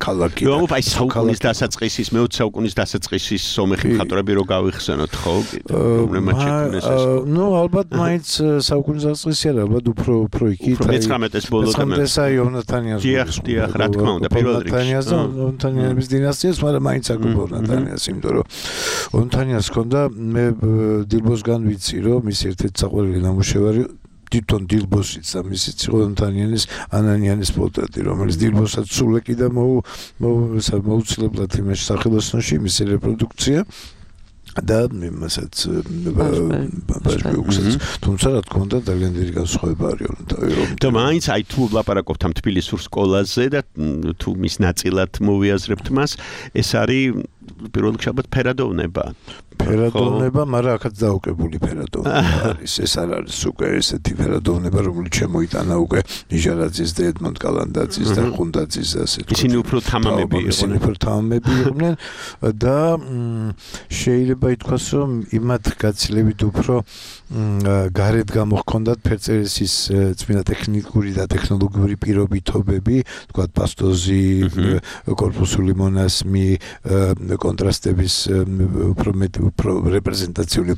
ქალაქი. ნუ აი საუკუნის დასაწყისის მეოცე საუკუნის დასაწყისის სომეხი მხატვრები რო გავიხსენოთ ხო? ნუ ალბათ მაინც საუკუნის დასაწყისი არა, ალბათ უფრო უფრო იქით. მეცხრამეტეს ბოლოდან. მეცხრამეტესა იონათანიას. დიახ, დიახ, რა თქმა უნდა, პირველ რიგში. იონათანიას და იონათანიების დინასტიას, მაგრამ მაინც აკუპა იონათანიას, იმიტომ რომ იონათანიას ჰქონდა მე დილბოსგან ვიცი, რომ მის ერთ-ერთი საყვარელი ნამუშევარი თვითონ დილბოსიც და მისიც იყო იონათანიანის ანანიანის პორტრეტი, რომელიც დილბოსაც სულ ეკიდა მოუცილებლად იმაში სახელოსნოში მისი რეპროდუქცია. და იმასაც ბაჟბეუქსაც თუმცა რა თქმა უნდა ძალიან დიდი განსხვავება არის და მაინც აი თუ ლაპარაკობთ ამ თბილისურ სკოლაზე და თუ მის ნაწილად მოვიაზრებთ მას, ეს არის პირველ რიგში ალბათ ფერადოვნება. ფერადოვნება, მაგრამ აქაც დაუკებული ფერადოვნება არის. ეს არ არის უკვე ესეთი ფერადოვნება, რომელიც შემოიტანა უკვე ნიჟარაძის და ედმონდ კალანდაძის და ხუნდაძის და ასე. ისინი უფრო თამამები იყვნენ. ისინი უფრო თამამები იყვნენ და შეიძლება ითქვას, რომ იმათ გაცილებით უფრო გარეთ გამოჰქონდათ ფერწერის წმინდა ტექნიკური და ტექნოლოგიური პირობითობები, თქვათ პასტოზი, კორპუსული მონასმი, კონტრასტების უფრო მეტ უფრო რეპრეზენტაციული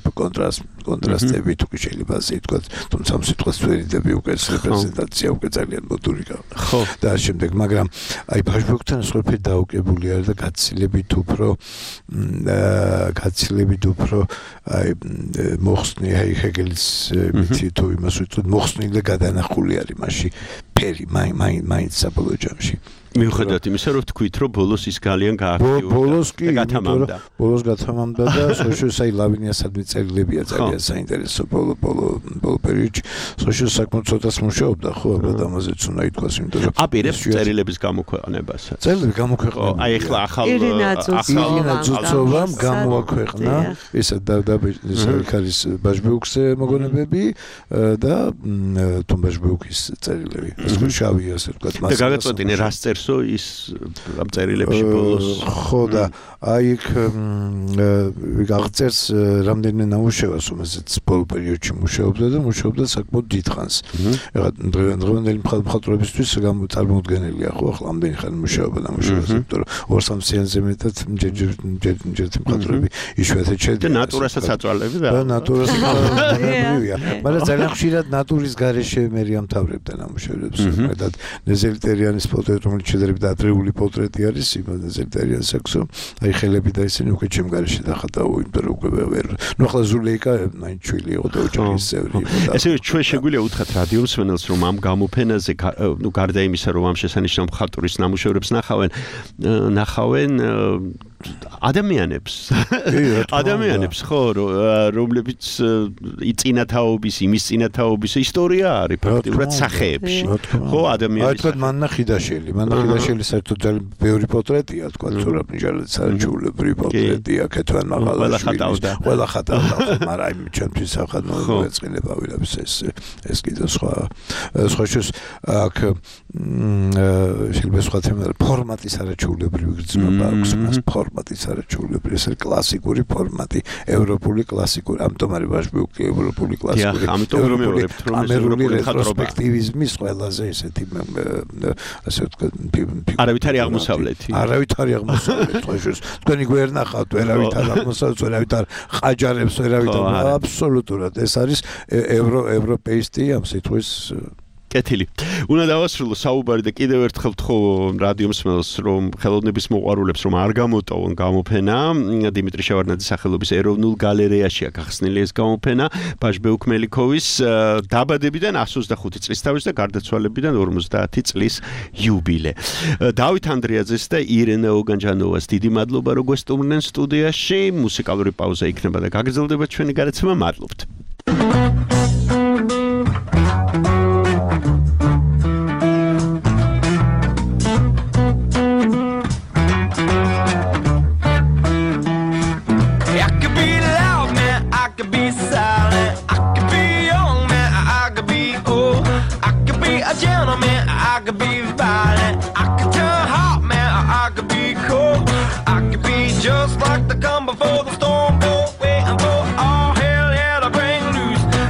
კონტრასტები თუ შეიძლება ასე ითქვათ, თუმცა ამ სიტყვას ვერიდები უკვე რეპრეზენტაცია უკვე ძალიან მოდური გავა. ხო. და შემდეგ, მაგრამ აი ბაჟბეუქთან სხვაფერი დაუკებული არის და გაცილებით უფრო გაცილებით უფრო აი მოხსნი აი ჰეგელის მითი თუ იმას ვიტყვით მოხსნილი და გადანახული არის მასში ფერი მაინც საბოლოო ჯამში. მიუხედავად იმისა, რომ თქვით, რომ ბოლოს ის ძალიან გააქტიურდა. ბოლოს კი გათამამდა. ბოლოს გათამამდა და სოშიუსაი ლავინიასადმი წერილებია ძალიან საინტერესო ბოლო ბოლო ბოლო პერიოდში. სოშიუს საკმაოდ ცოტას მუშაობდა, ხო, ალბათ ამაზეც უნდა ითქვას, იმიტომ რომ აპირებს წერილების გამოქვეყნებასაც. წერილები გამოქვეყნა. აი ახლა ახალ ახალ ძუძოვამ გამოაქვეყნა ისა და და ის ბაჟბეუქზე მოგონებები და თუმბაჟბეუქის წერილები. ეს შავი ასე ვთქვათ, მასა. და გაგაწყვეტინე რას წერს ის ამ წერილებში ბოლოს ხო და აი იქ აღწერს რამდენიმე ნამუშევარს, რომელზეც ბოლო პერიოდში მუშაობდა და მუშაობდა საკმაოდ დიდხანს. ეხლა დღევანდელი მხატვრებისთვის წარმოუდგენელია ხო ახლა ამდენი ხანი მუშაობა ნამუშევარზე, იმიტომ რომ ორ-სამ სიანზე მეტად ჯერ-ჯერ მხატვრები იშვიათად შედგება. და ნატურასაც აწვალები და ნატურას მონებრივია. მაგრამ ძალიან ხშირად ნატურის გარეშე მე ამთავრებდა ნამუშევრებს. მეტად ნეზელტერიანის პორტრეტი, რომელიც შედარებით ადრეული პორტრეტი არის, იმაზე ზელტერიანს აქვს, აი ხელები და ისინი უკვე ჩემ გარეშე დახატაო, იმიტომ რომ უკვე ვერ. ნუ ახლა ზულეიკა მაინც ჩვილი იყო და ოჯახის წევრი იყო. ესე ჩვენ შეგვიძლია უთხრათ რადიო მსმენელს, რომ ამ გამოფენაზე, ნუ გარდა იმისა, რომ ამ შესანიშნავ მხატვრის ნამუშევრებს ნახავენ, ნახავენ ადამიანებს ადამიანებს ხო რომლებიც იწინათაობის იმის წინათაობის ისტორია არის ფაქტიურად სახეებში ხო ადამიანის აი თქვა მანნა ხიდაშელი მანნა ხიდაშელი საერთოდ ძალიან ბევრი პორტრეტია თქვა ზურაბ ნიჟალაძის საჩულებრივი პორტრეტია ქეთვან მაღალაშვილის ყველა ხატავდა მაგრამ აი ჩემთვის სახანო ეწყინება ვილებს ეს ეს კიდე სხვა სხვა შეს აქ შეიძლება სხვა თემა ფორმატის არაჩვეულებრივი გრძნობა აქვს მას ფორმატის არაჩვეულებრივი ეს კლასიკური ფორმატი ევროპული კლასიკური ამიტომ არის ვაჟბიუკი ევროპული კლასიკური ევროპული ამერული რეტროსპექტივიზმის ყველაზე ესეთი ასე ვთქვათ არავითარი აღმოსავლეთი არავითარი აღმოსავლეთი ხო შეს თქვენი გვერ ნახავთ ვერავით არ აღმოსავლეთს ვერავით არ ყაჯარებს ვერავით აბსოლუტურად ეს არის ევრო ევროპეისტი ამ სიტყვის კეთილი. უნდა დავასრულო საუბარი და კიდევ ერთხელ თხოვ რადიო მსმენელს რომ ხელოვნების მოყვარულებს რომ არ გამოტოვონ გამოფენა დიმიტრი შევარდნაძის სახელობის ეროვნულ გალერეაშია გახსნილი ეს გამოფენა ბაჟბეუქ მელიქოვის დაბადებიდან εκατს ოცდახუთი წლის თავის და გარდაცვალებიდან ორმოცდაათი წლის იუბილე. დავით ანდრიაძეს და ირენე ოგანჯანოვას დიდი მადლობა რომ გვესტუმრნენ სტუდიაში. მუსიკალური პაუზა იქნება და გაგრძელდება ჩვენი გადაცემა. მადლობთ. Just like the come before the storm, waiting for all hell, yeah, to bring loose.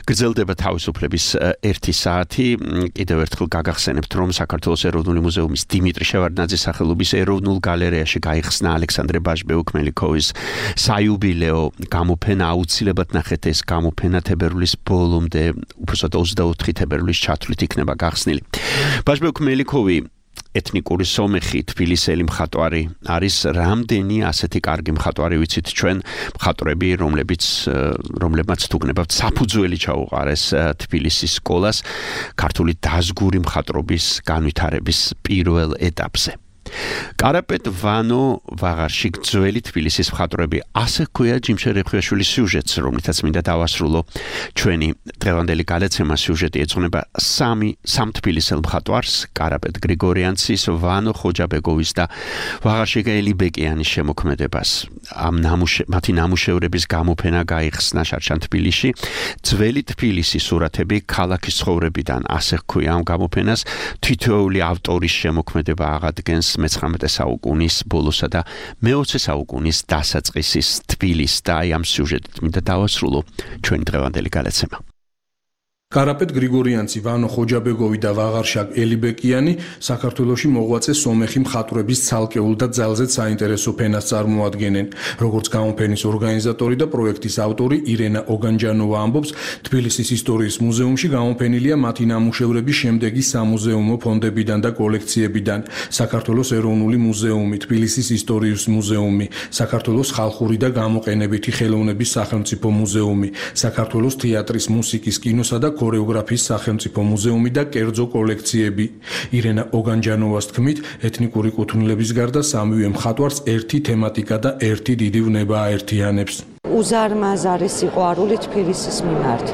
გრძელდება თავისუფლების ერთი საათი. კიდევ ერთხელ გაგახსენებთ, რომ საქართველოს ეროვნული მუზეუმის დიმიტრი შევარდნაძის სახელობის ეროვნულ გალერეაში გაიხსნა ალექსანდრე ბაჟბეუკ-მელიქოვის საიუბილეო გამოფენა. აუცილებლად ნახეთ ეს გამოფენა თებერვლის ბოლომდე, უბრალოდ ოცდაოთხი თებერვლის ჩათვლით იქნება გახსნილი. ბაჟბეუկ-მელიქოვი ეთნიკური სომეხი თბილისელი მხატვარი არის. რამდენი ასეთი კარგი მხატვარი ვიცით ჩვენ მხატვრები, რომლებიც რომლებმაც თუგნებავთ საფუძველი ჩაუყარეს თბილისის სკოლას ქართული დაზგური მხატვრობის განვითარების პირველ ეტაპზე. კარაპეტ ვანო ვაღარში ძველი თბილისის მხატვრები, ასე ჰქვია ჯიმშე რეხვიაშვილის სიუჟეტს, რომლითაც მინდა დავასრულო ჩვენი დღევანდელი გადაცემა. სიუჟეტი ეძღვნება სამი სამ თბილისელ მხატვარს, კარაპეტ გრიგორიანცის, ვანო ხოჯაბეგოვის და ვაღარში ელიბეკიანის შემოქმედებას. ამ ნამუშე მათი ნამუშევრების გამოფენა გაიხსნა შარშან თბილისში. ძველი თბილისის სურათები ქალაქის ცხოვრებიდან, ასე ჰქვია ამ გამოფენას. თითოეული ავტორის შემოქმედება აღადგენს მეცხრამეტე საუკუნის ბოლოსა და მეოცე საუკუნის დასაწყისის თბილისს და აი ამ სიუჟეტით მინდა დავასრულო ჩვენი დღევანდელი გადაცემა. კარაპეტ გრიგორიანცი, ვანო ხოჯაბეგოვი და ვაღარშაკ ელიბეკიანი საქართველოში მოღვაწე სომეხი მხატვრების ცალკეულ და ძალზედ საინტერესო ფენას წარმოადგენენ. როგორც გამოფენის ორგანიზატორი და პროექტის ავტორი ირენა ოგანჯანოვა ამბობს, თბილისის ისტორიის მუზეუმში გამოფენილია მათი ნამუშევრები შემდეგი სამუზეუმო ფონდებიდან და კოლექციებიდან: საქართველოს ეროვნული მუზეუმი, თბილისის ისტორიის მუზეუმი, საქართველოს ხალხური და გამოყენებითი ხელოვნების სახელმწიფო მუზეუმი, საქართველოს თეატრის, მუსიკის, კინოსა და ქორეოგრაფიის სახელმწიფო მუზეუმი და კერძო კოლექციები. ირენა ოგანჯანოვას თქმით, ეთნიკური კუთვნილების გარდა სამივე მხატვარს ერთი თემატიკა და ერთი დიდი ვნება აერთიანებს. უზარმაზარი სიყვარული თბილისის მიმართ.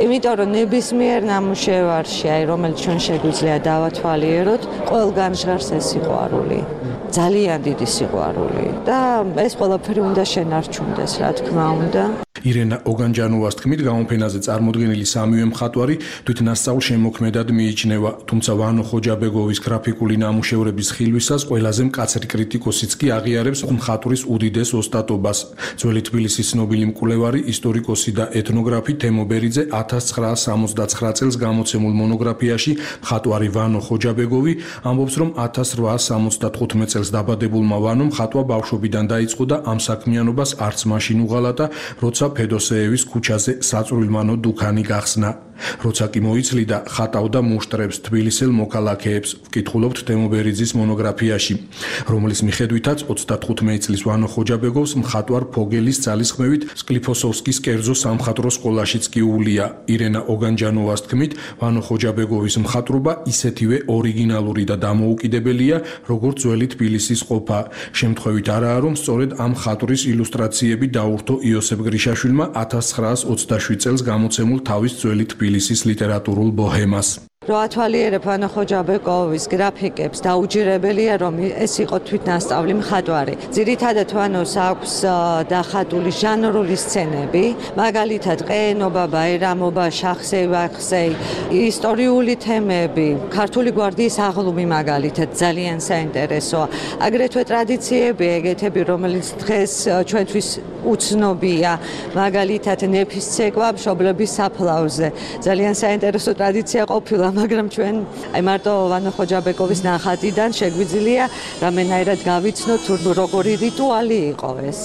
იმიტომ რომ ნებისმიერ ნამუშევარში, აი რომელიც ჩვენ შეგვიძლია დავათვალიეროთ, ყველგან ჟღერს ეს სიყვარული. ძალიან დიდი სიყვარული და ეს ყველაფერი უნდა შენარჩუნდეს, რა თქმა უნდა. ირენა ოგანჯანოვას თქმით, გამოფენაზე წარმოდგენილი სამივე მხატვარი თვითნასწავლ შემოქმედად მიიჩნევა, თუმცა ვანო ხოჯაბეგოვის გრაფიკული ნამუშევრების ხილვისას ყველაზე მკაცრი კრიტიკოსიც კი აღიარებს მხატვრის უდიდეს ოსტატობას. ძველი თბილისის ცნობილი მკვლევარი, ისტორიკოსი და ეთნოგრაფი თემო ბერიძე ათას ცხრაას სამოცდაცხრა წელს გამოცემულ მონოგრაფიაში მხატვარი ვანო ხოჯაბეგოვი ამბობს, რომ ათას რვაას სამოცდათხუთმეტ წელს დაბადებულმა ვანომ ხატვა ბავშვობიდან დაიწყო და ამ საქმიანობას არც მაშინ უღალატა, როცა ფედოსეევის ქუჩაზე საწვრილმანო დუქანი გახსნა. როცა კი მოიცლიდა, ხატავდა მუშტრებს, თბილისელ მოქალაქეებს, ვკითხულობთ თემო ბერიძის მონოგრაფიაში, რომლის მიხედვითაც ოცდათხუთმეტი წლის ვანო ხოჯაბეგოვს მხატვარ ფოგელის ძალისხმევით სკლიფოსოვსკის კერძო სამხატვრო სკოლაშიც კი უვლია. ირენა ოგანჯანოვას თქმით, ვანო ხოჯაბეგოვის მხატვრობა ისეთივე ორიგინალური და დამოუკიდებელია, როგორც ძველი თბილისის ყოფა. შემთხვევით არაა, რომ სწორედ ამ მხატვრის ილუსტრაციები დაურთო იოსებ გრიშაშვილმა ათას ცხრაას ოცდაშვიდ წელს გამოცემულ თავის ძველი თბილისის ლიტერატურულ ბოჰემას. რო ათვალიერებ ვანო ხოჯაბეკოვის გრაფიკებს, დაუჯერებელია, რომ ეს იყო თვითნასწავლი მხატვარი. ძირითადად ვანოს აქვს დახატული ჟანრული სცენები, მაგალითად ყეენობა, ბაირამობა, შახსეი-ვახსეი, ისტორიული თემები, ქართული გვარდიის აღლუმი მაგალითად ძალიან საინტერესოა. აგრეთვე ტრადიციები, ეგეთები, რომელიც დღეს ჩვენთვის უცნობია, მაგალითად ნეფის ცეკვა მშობლების საფლავზე. ძალიან საინტერესო ტრადიცია ყოფილა, მაგრამ ჩვენ აი მარტო ვანო ხოჯაბეკოვის ნახატიდან შეგვიძლია რამენაირად გავიცნოთ, თუ როგორი რიტუალი იყო ეს.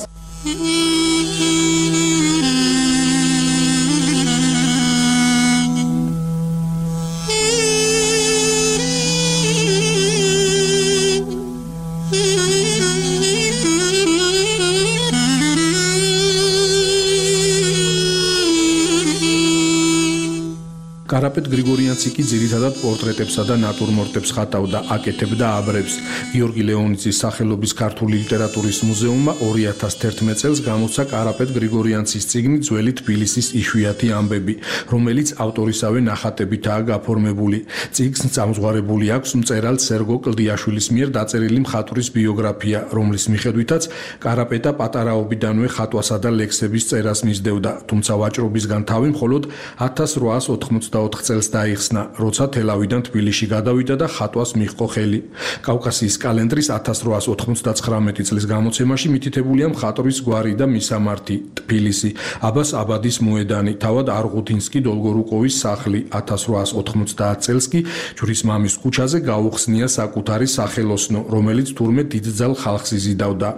კარაპეტ გრიგორიანცი კი ძირითადად პორტრეტებსა და ნატურმორტებს ხატავდა, აკეთებდა აბრებს. გიორგი ლეონიძის სახელობის ქართული ლიტერატურის მუზეუმმა ორი ათას ერთმეტ წელს გამოსცა კარაპეტ გრიგორიანცის წიგნი ძველი თბილისის იშვიათი ამბები, რომელიც ავტორისავე ნახატებითაა გაფორმებული. წიგნს წამზღვარებული აქვს მწერალ სერგო კლდიაშვილის მიერ დაწერილი მხატვრის ბიოგრაფია, რომლის მიხედვითაც კარაპეტა პატარაობიდანვე ხატვასა და ლექსების წერას მისდევდა, თუმცა ვაჭრობისგან თავი მხოლოდ ათას რვაას ოთხმოცდაათი ოცდაოთხ წელს დაიხსნა, როცა თელავიდან თბილისში გადავიდა და ხატვას მიჰყო ხელი. კავკასიის კალენდრის ათას რვაას ოთხმოცდათხრამეტი წლის გამოცემაში მითითებულია მხატვრის გვარი და მისამართი თბილისი, აბას აბადის მოედანი, თავად არღუთინსკი დოლგორუკოვის სახლი. ათას რვაას ოთხმოცდაათ წელს კი ჯვრის მამის ქუჩაზე გაუხსნია საკუთარი სახელოსნო, რომელიც თურმე დიდძალ ხალხს იზიდავდა.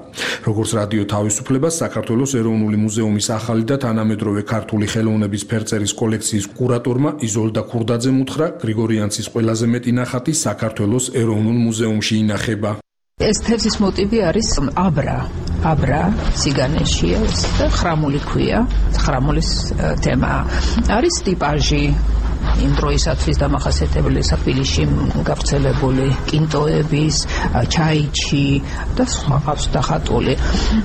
როგორც რადიო თავისუფლებას საქართველოს ეროვნული მუზეუმის ახალი და თანამედროვე ქართული ხელოვნების ფერწერის კოლექციის კურატორმა იზოლდა ქურდაძემ უთხრა, გრიგორიანცის ყველაზე მეტი ნახატი საქართველოს ეროვნულ მუზეუმში ინახება. ეს თევზის მოტივი არის აბრა, აბრა ციგანეშია და ხრამული ქვია, ხრამულის თემა არის ტიპაჟი იმ დროისათვის დამახასიათებელი თბილისში გავრცელებული კინტოების, ჩაიჩი და სხვა ყავს დახატული.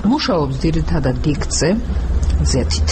მუშაობს ძირითადად დიქცე ზეთით.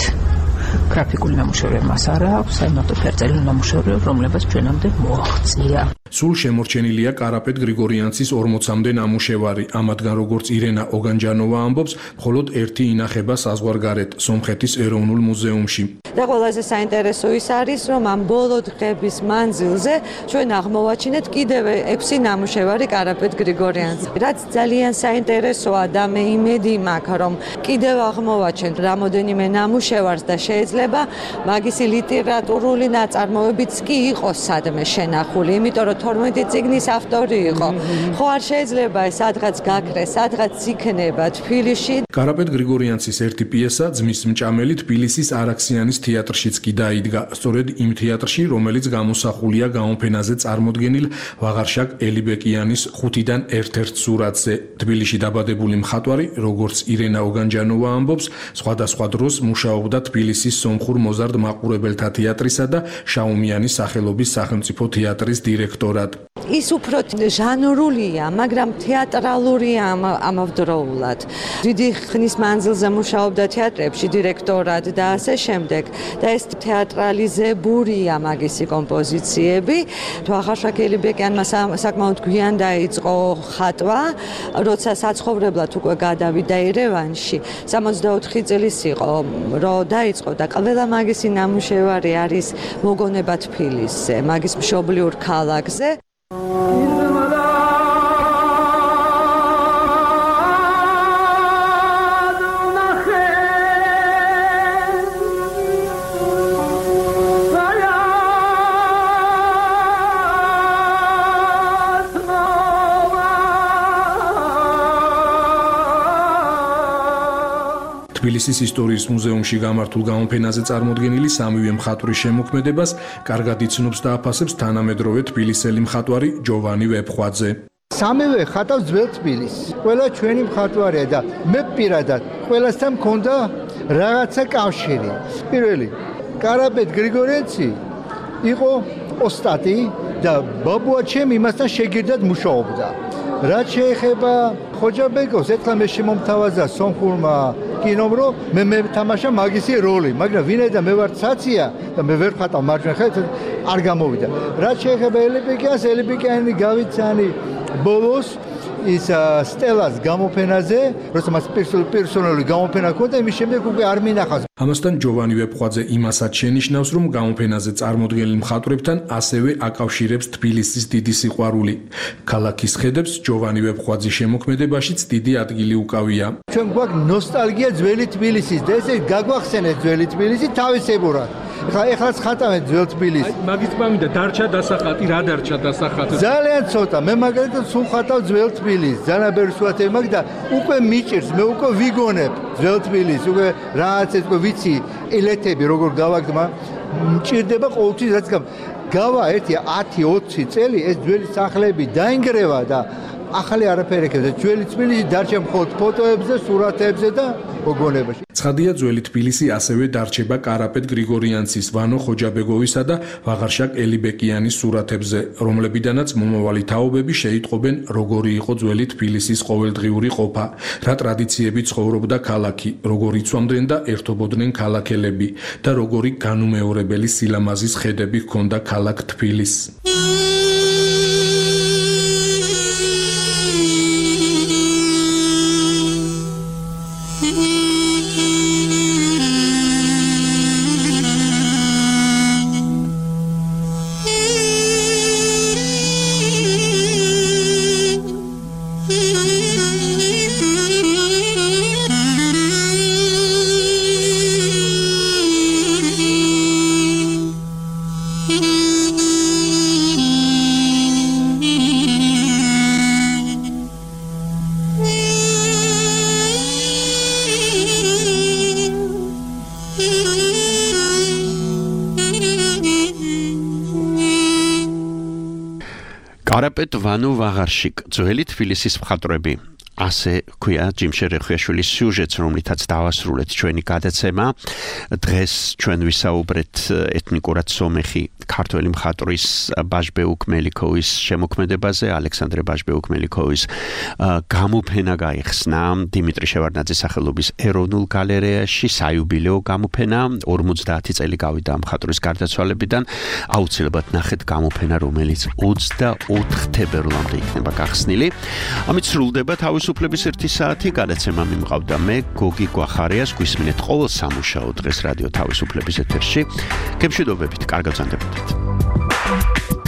გრაფიკული ნამუშევრები მას არ აქვს, საიმართო ფერწერული ნამუშევრები, რომლებიც ჩვენამდე მოაღწია. სულ შემორჩენილია კარაპეტ გრიგორიანცის ორმოცამდე ნამუშევარი. ამათგან როგორც ირენა ოგანჯანოვა ამბობს, მხოლოდ ერთი ინახება საზღვარგარეთ, სომხეთის ეროვნულ მუზეუმში. და ყველაზე საინტერესო ის არის, რომ ამ ბოლო დღების მანძილზე ჩვენ აღმოვაჩინეთ კიდევ ექვსი ნამუშევარი კარაპეტ გრიგორიანცის. რაც ძალიან საინტერესოა და მე იმედი მაქვს, რომ კიდევ აღმოვაჩენთ რამოდენიმე ნამუშევარს და შეიძლება მაგისი ლიტერატურული ნაწარმოებიც კი იყოს სადმე შენახული, იმიტომ რომ თორმეტი წიგნის ავტორი იყო. ხო არ შეიძლება ეს სადღაც გაქრეს, სადღაც იქნება თბილისში. კარაპეტ გრიგორიანცის ერთი პიესა ძმის მჭამელი თბილისის არაქსიანის თეატრშიც კი დაიდგა. სწორედ იმ თეატრში, რომელიც გამოსახულია გამოფენაზე წარმოდგენილ ვაღარშაკ ელიბეკიანის ხუთიდან ერთ-ერთ სურათზე. თბილისში დაბადებული მხატვარი, როგორც ირენა ოგანჯანოვა ამბობს, სხვადასხვა დროს მუშაობდა თბილისის სომხურ მოზარდ მაყურებელთა თეატრისა და შაუმიანის სახელობის სახელმწიფო თეატრის დირექტორად. ის უფრო ჟანრულია, მაგრამ თეატრალურია ამავდროულად. დიდი ხნის მანძილზე მუშაობდა თეატრებში დირექტორად და ასე შემდეგ. და ეს თეატრალიზებულია მაგისი კომპოზიციები. ვაღარშაკ ელიბეკიანმა საკმაოდ გვიან დაიწყო ხატვა, როცა საცხოვრებლად უკვე გადავიდა ერევანში. სამოცდაოთხი წლის იყო, რომ დაიწყო და ყველა მაგისი ნამუშევარი არის მოგონება თბილისზე, მაგის მშობლიურ ქალაქზე. თბილისის ისტორიის მუზეუმში გამართულ გამოფენაზე წარმოდგენილი სამივე მხატვრის შემოქმედებას კარგად იცნობს და აფასებს თანამედროვე თბილისელი მხატვარი ჯოვანი ვეფხვაძე. სამივე ხატავს ძველ თბილისს. ყველა ჩვენი მხატვარია და მე პირადად ყველასთან მქონდა რაღაცა კავშირი. პირველი, კარაპეტ გრიგორიანცი იყო ოსტატი და ბაბუა ჩემი იმასთან შეგირდად მუშაობდა. რაც შეეხება ხოჯაბეკოს, ეხლა მე შემომთავაზა სომხურმა კინომ, რომ მე მე თამაშა მაგისი როლი, მაგრამ ვინაიდან მე ვარ ცაცია და მე ვერ ხატავ მარჯვენა ხელით, არ გამოვიდა. რაც შეეხება ელიბეკიანს, ელიბეკიანი გავიცანი ბოლოს ის სტელას გამოფენაზე, როცა მას პერსონალური გამოფენა ჰქონდა, იმის შემდეგ უკვე არ მინახავს. ამასთან ჯოვანი ვეფხვაძე იმასაც შენიშნავს, რომ გამოფენაზე წარმოდგენილ მხატვრებთან ასევე აკავშირებს თბილისის დიდი სიყვარული. ქალაქის ხედებს ჯოვანი ვეფხვაძის შემოქმედებაშიც დიდი ადგილი უკავია. ჩვენ გვაქვს ნოსტალგია ძველი თბილისის და ესე გაგვახსენეთ ძველი თბილისი თავისებურად. ეხლა ეხლაც ხატავენ ძველ თბილისს. მაგის პამიდა დარჩა დასახატი, რა დარჩა დასახატი? ძალიან ცოტა. მე მაგალითად სულ ხატავ ძველ თბილისს. ძალიან ბევრი სურათები მაქვს და უკვე მიჭირს, მე უკვე ვიგონებ ძველ თბილისს. უკვე რაღაც ეს უკვე ვიცი ელეთები როგორ გავაგდმა, მჭირდება ყოველთვის რაც გავა ერთი ათი ოცი წელი ეს ძველი სახლები დაინგრევა და ახალი არაფერი ექნება. ძველი თბილისი დარჩა მხოლოდ ფოტოებზე, სურათებზე და მოგონებაში. ცხადია, ძველი თბილისი ასევე დარჩება კარაპეტ გრიგორიანცის, ვანო ხოჯაბეგოვისა და ვაღარშაკ ელიბეკიანის სურათებზე, რომლებიდანაც მომავალი თაობები შეიტყობენ, როგორი იყო ძველი თბილისის ყოველდღიური ყოფა, რა ტრადიციები ცხოვრობდა ქალაქი, როგორ იცვამდნენ და ერთობოდნენ ქალაქელები და როგორი განუმეორებელი სილამაზის ხედები ჰქონდა ქალაქ თბილისს. კარაპეტ ვანო ვაღარშიკ ძველი თბილისის მხატვრები ასე ქვია ჯიმშე რეხვიაშვილის სიუჟეტს, რომლითაც დავასრულეთ ჩვენი გადაცემა. დღეს ჩვენ ვისაუბრეთ ეთნიკურად სომეხი ქართველი მხატვრის ბაჟბეუკ მელიქოვის შემოქმედებაზე. ალექსანდრე ბაჟბეუკ მელიქოვის გამოფენა გაიხსნა დიმიტრი შევარდნაძის სახელობის ეროვნულ გალერეაში, საიუბილეო გამოფენა. ორმოცდაათი წელი გავიდა მხატვრის გარდაცვალებიდან. აუცილებლად ნახეთ გამოფენა, რომელიც ოცდაოთხ თებერვლამდე იქნება გახსნილი. ამით სრულდება თავის უფლების ერთი საათი. გადაცემა მიმყავდა მე, გოგი გვახარიას. გვისმინეთ ყოველ სამუშაო დღეს რადიო თავისუფლების ეთერში. გემშვიდობებით, კარგად ვზანდებოდეთ.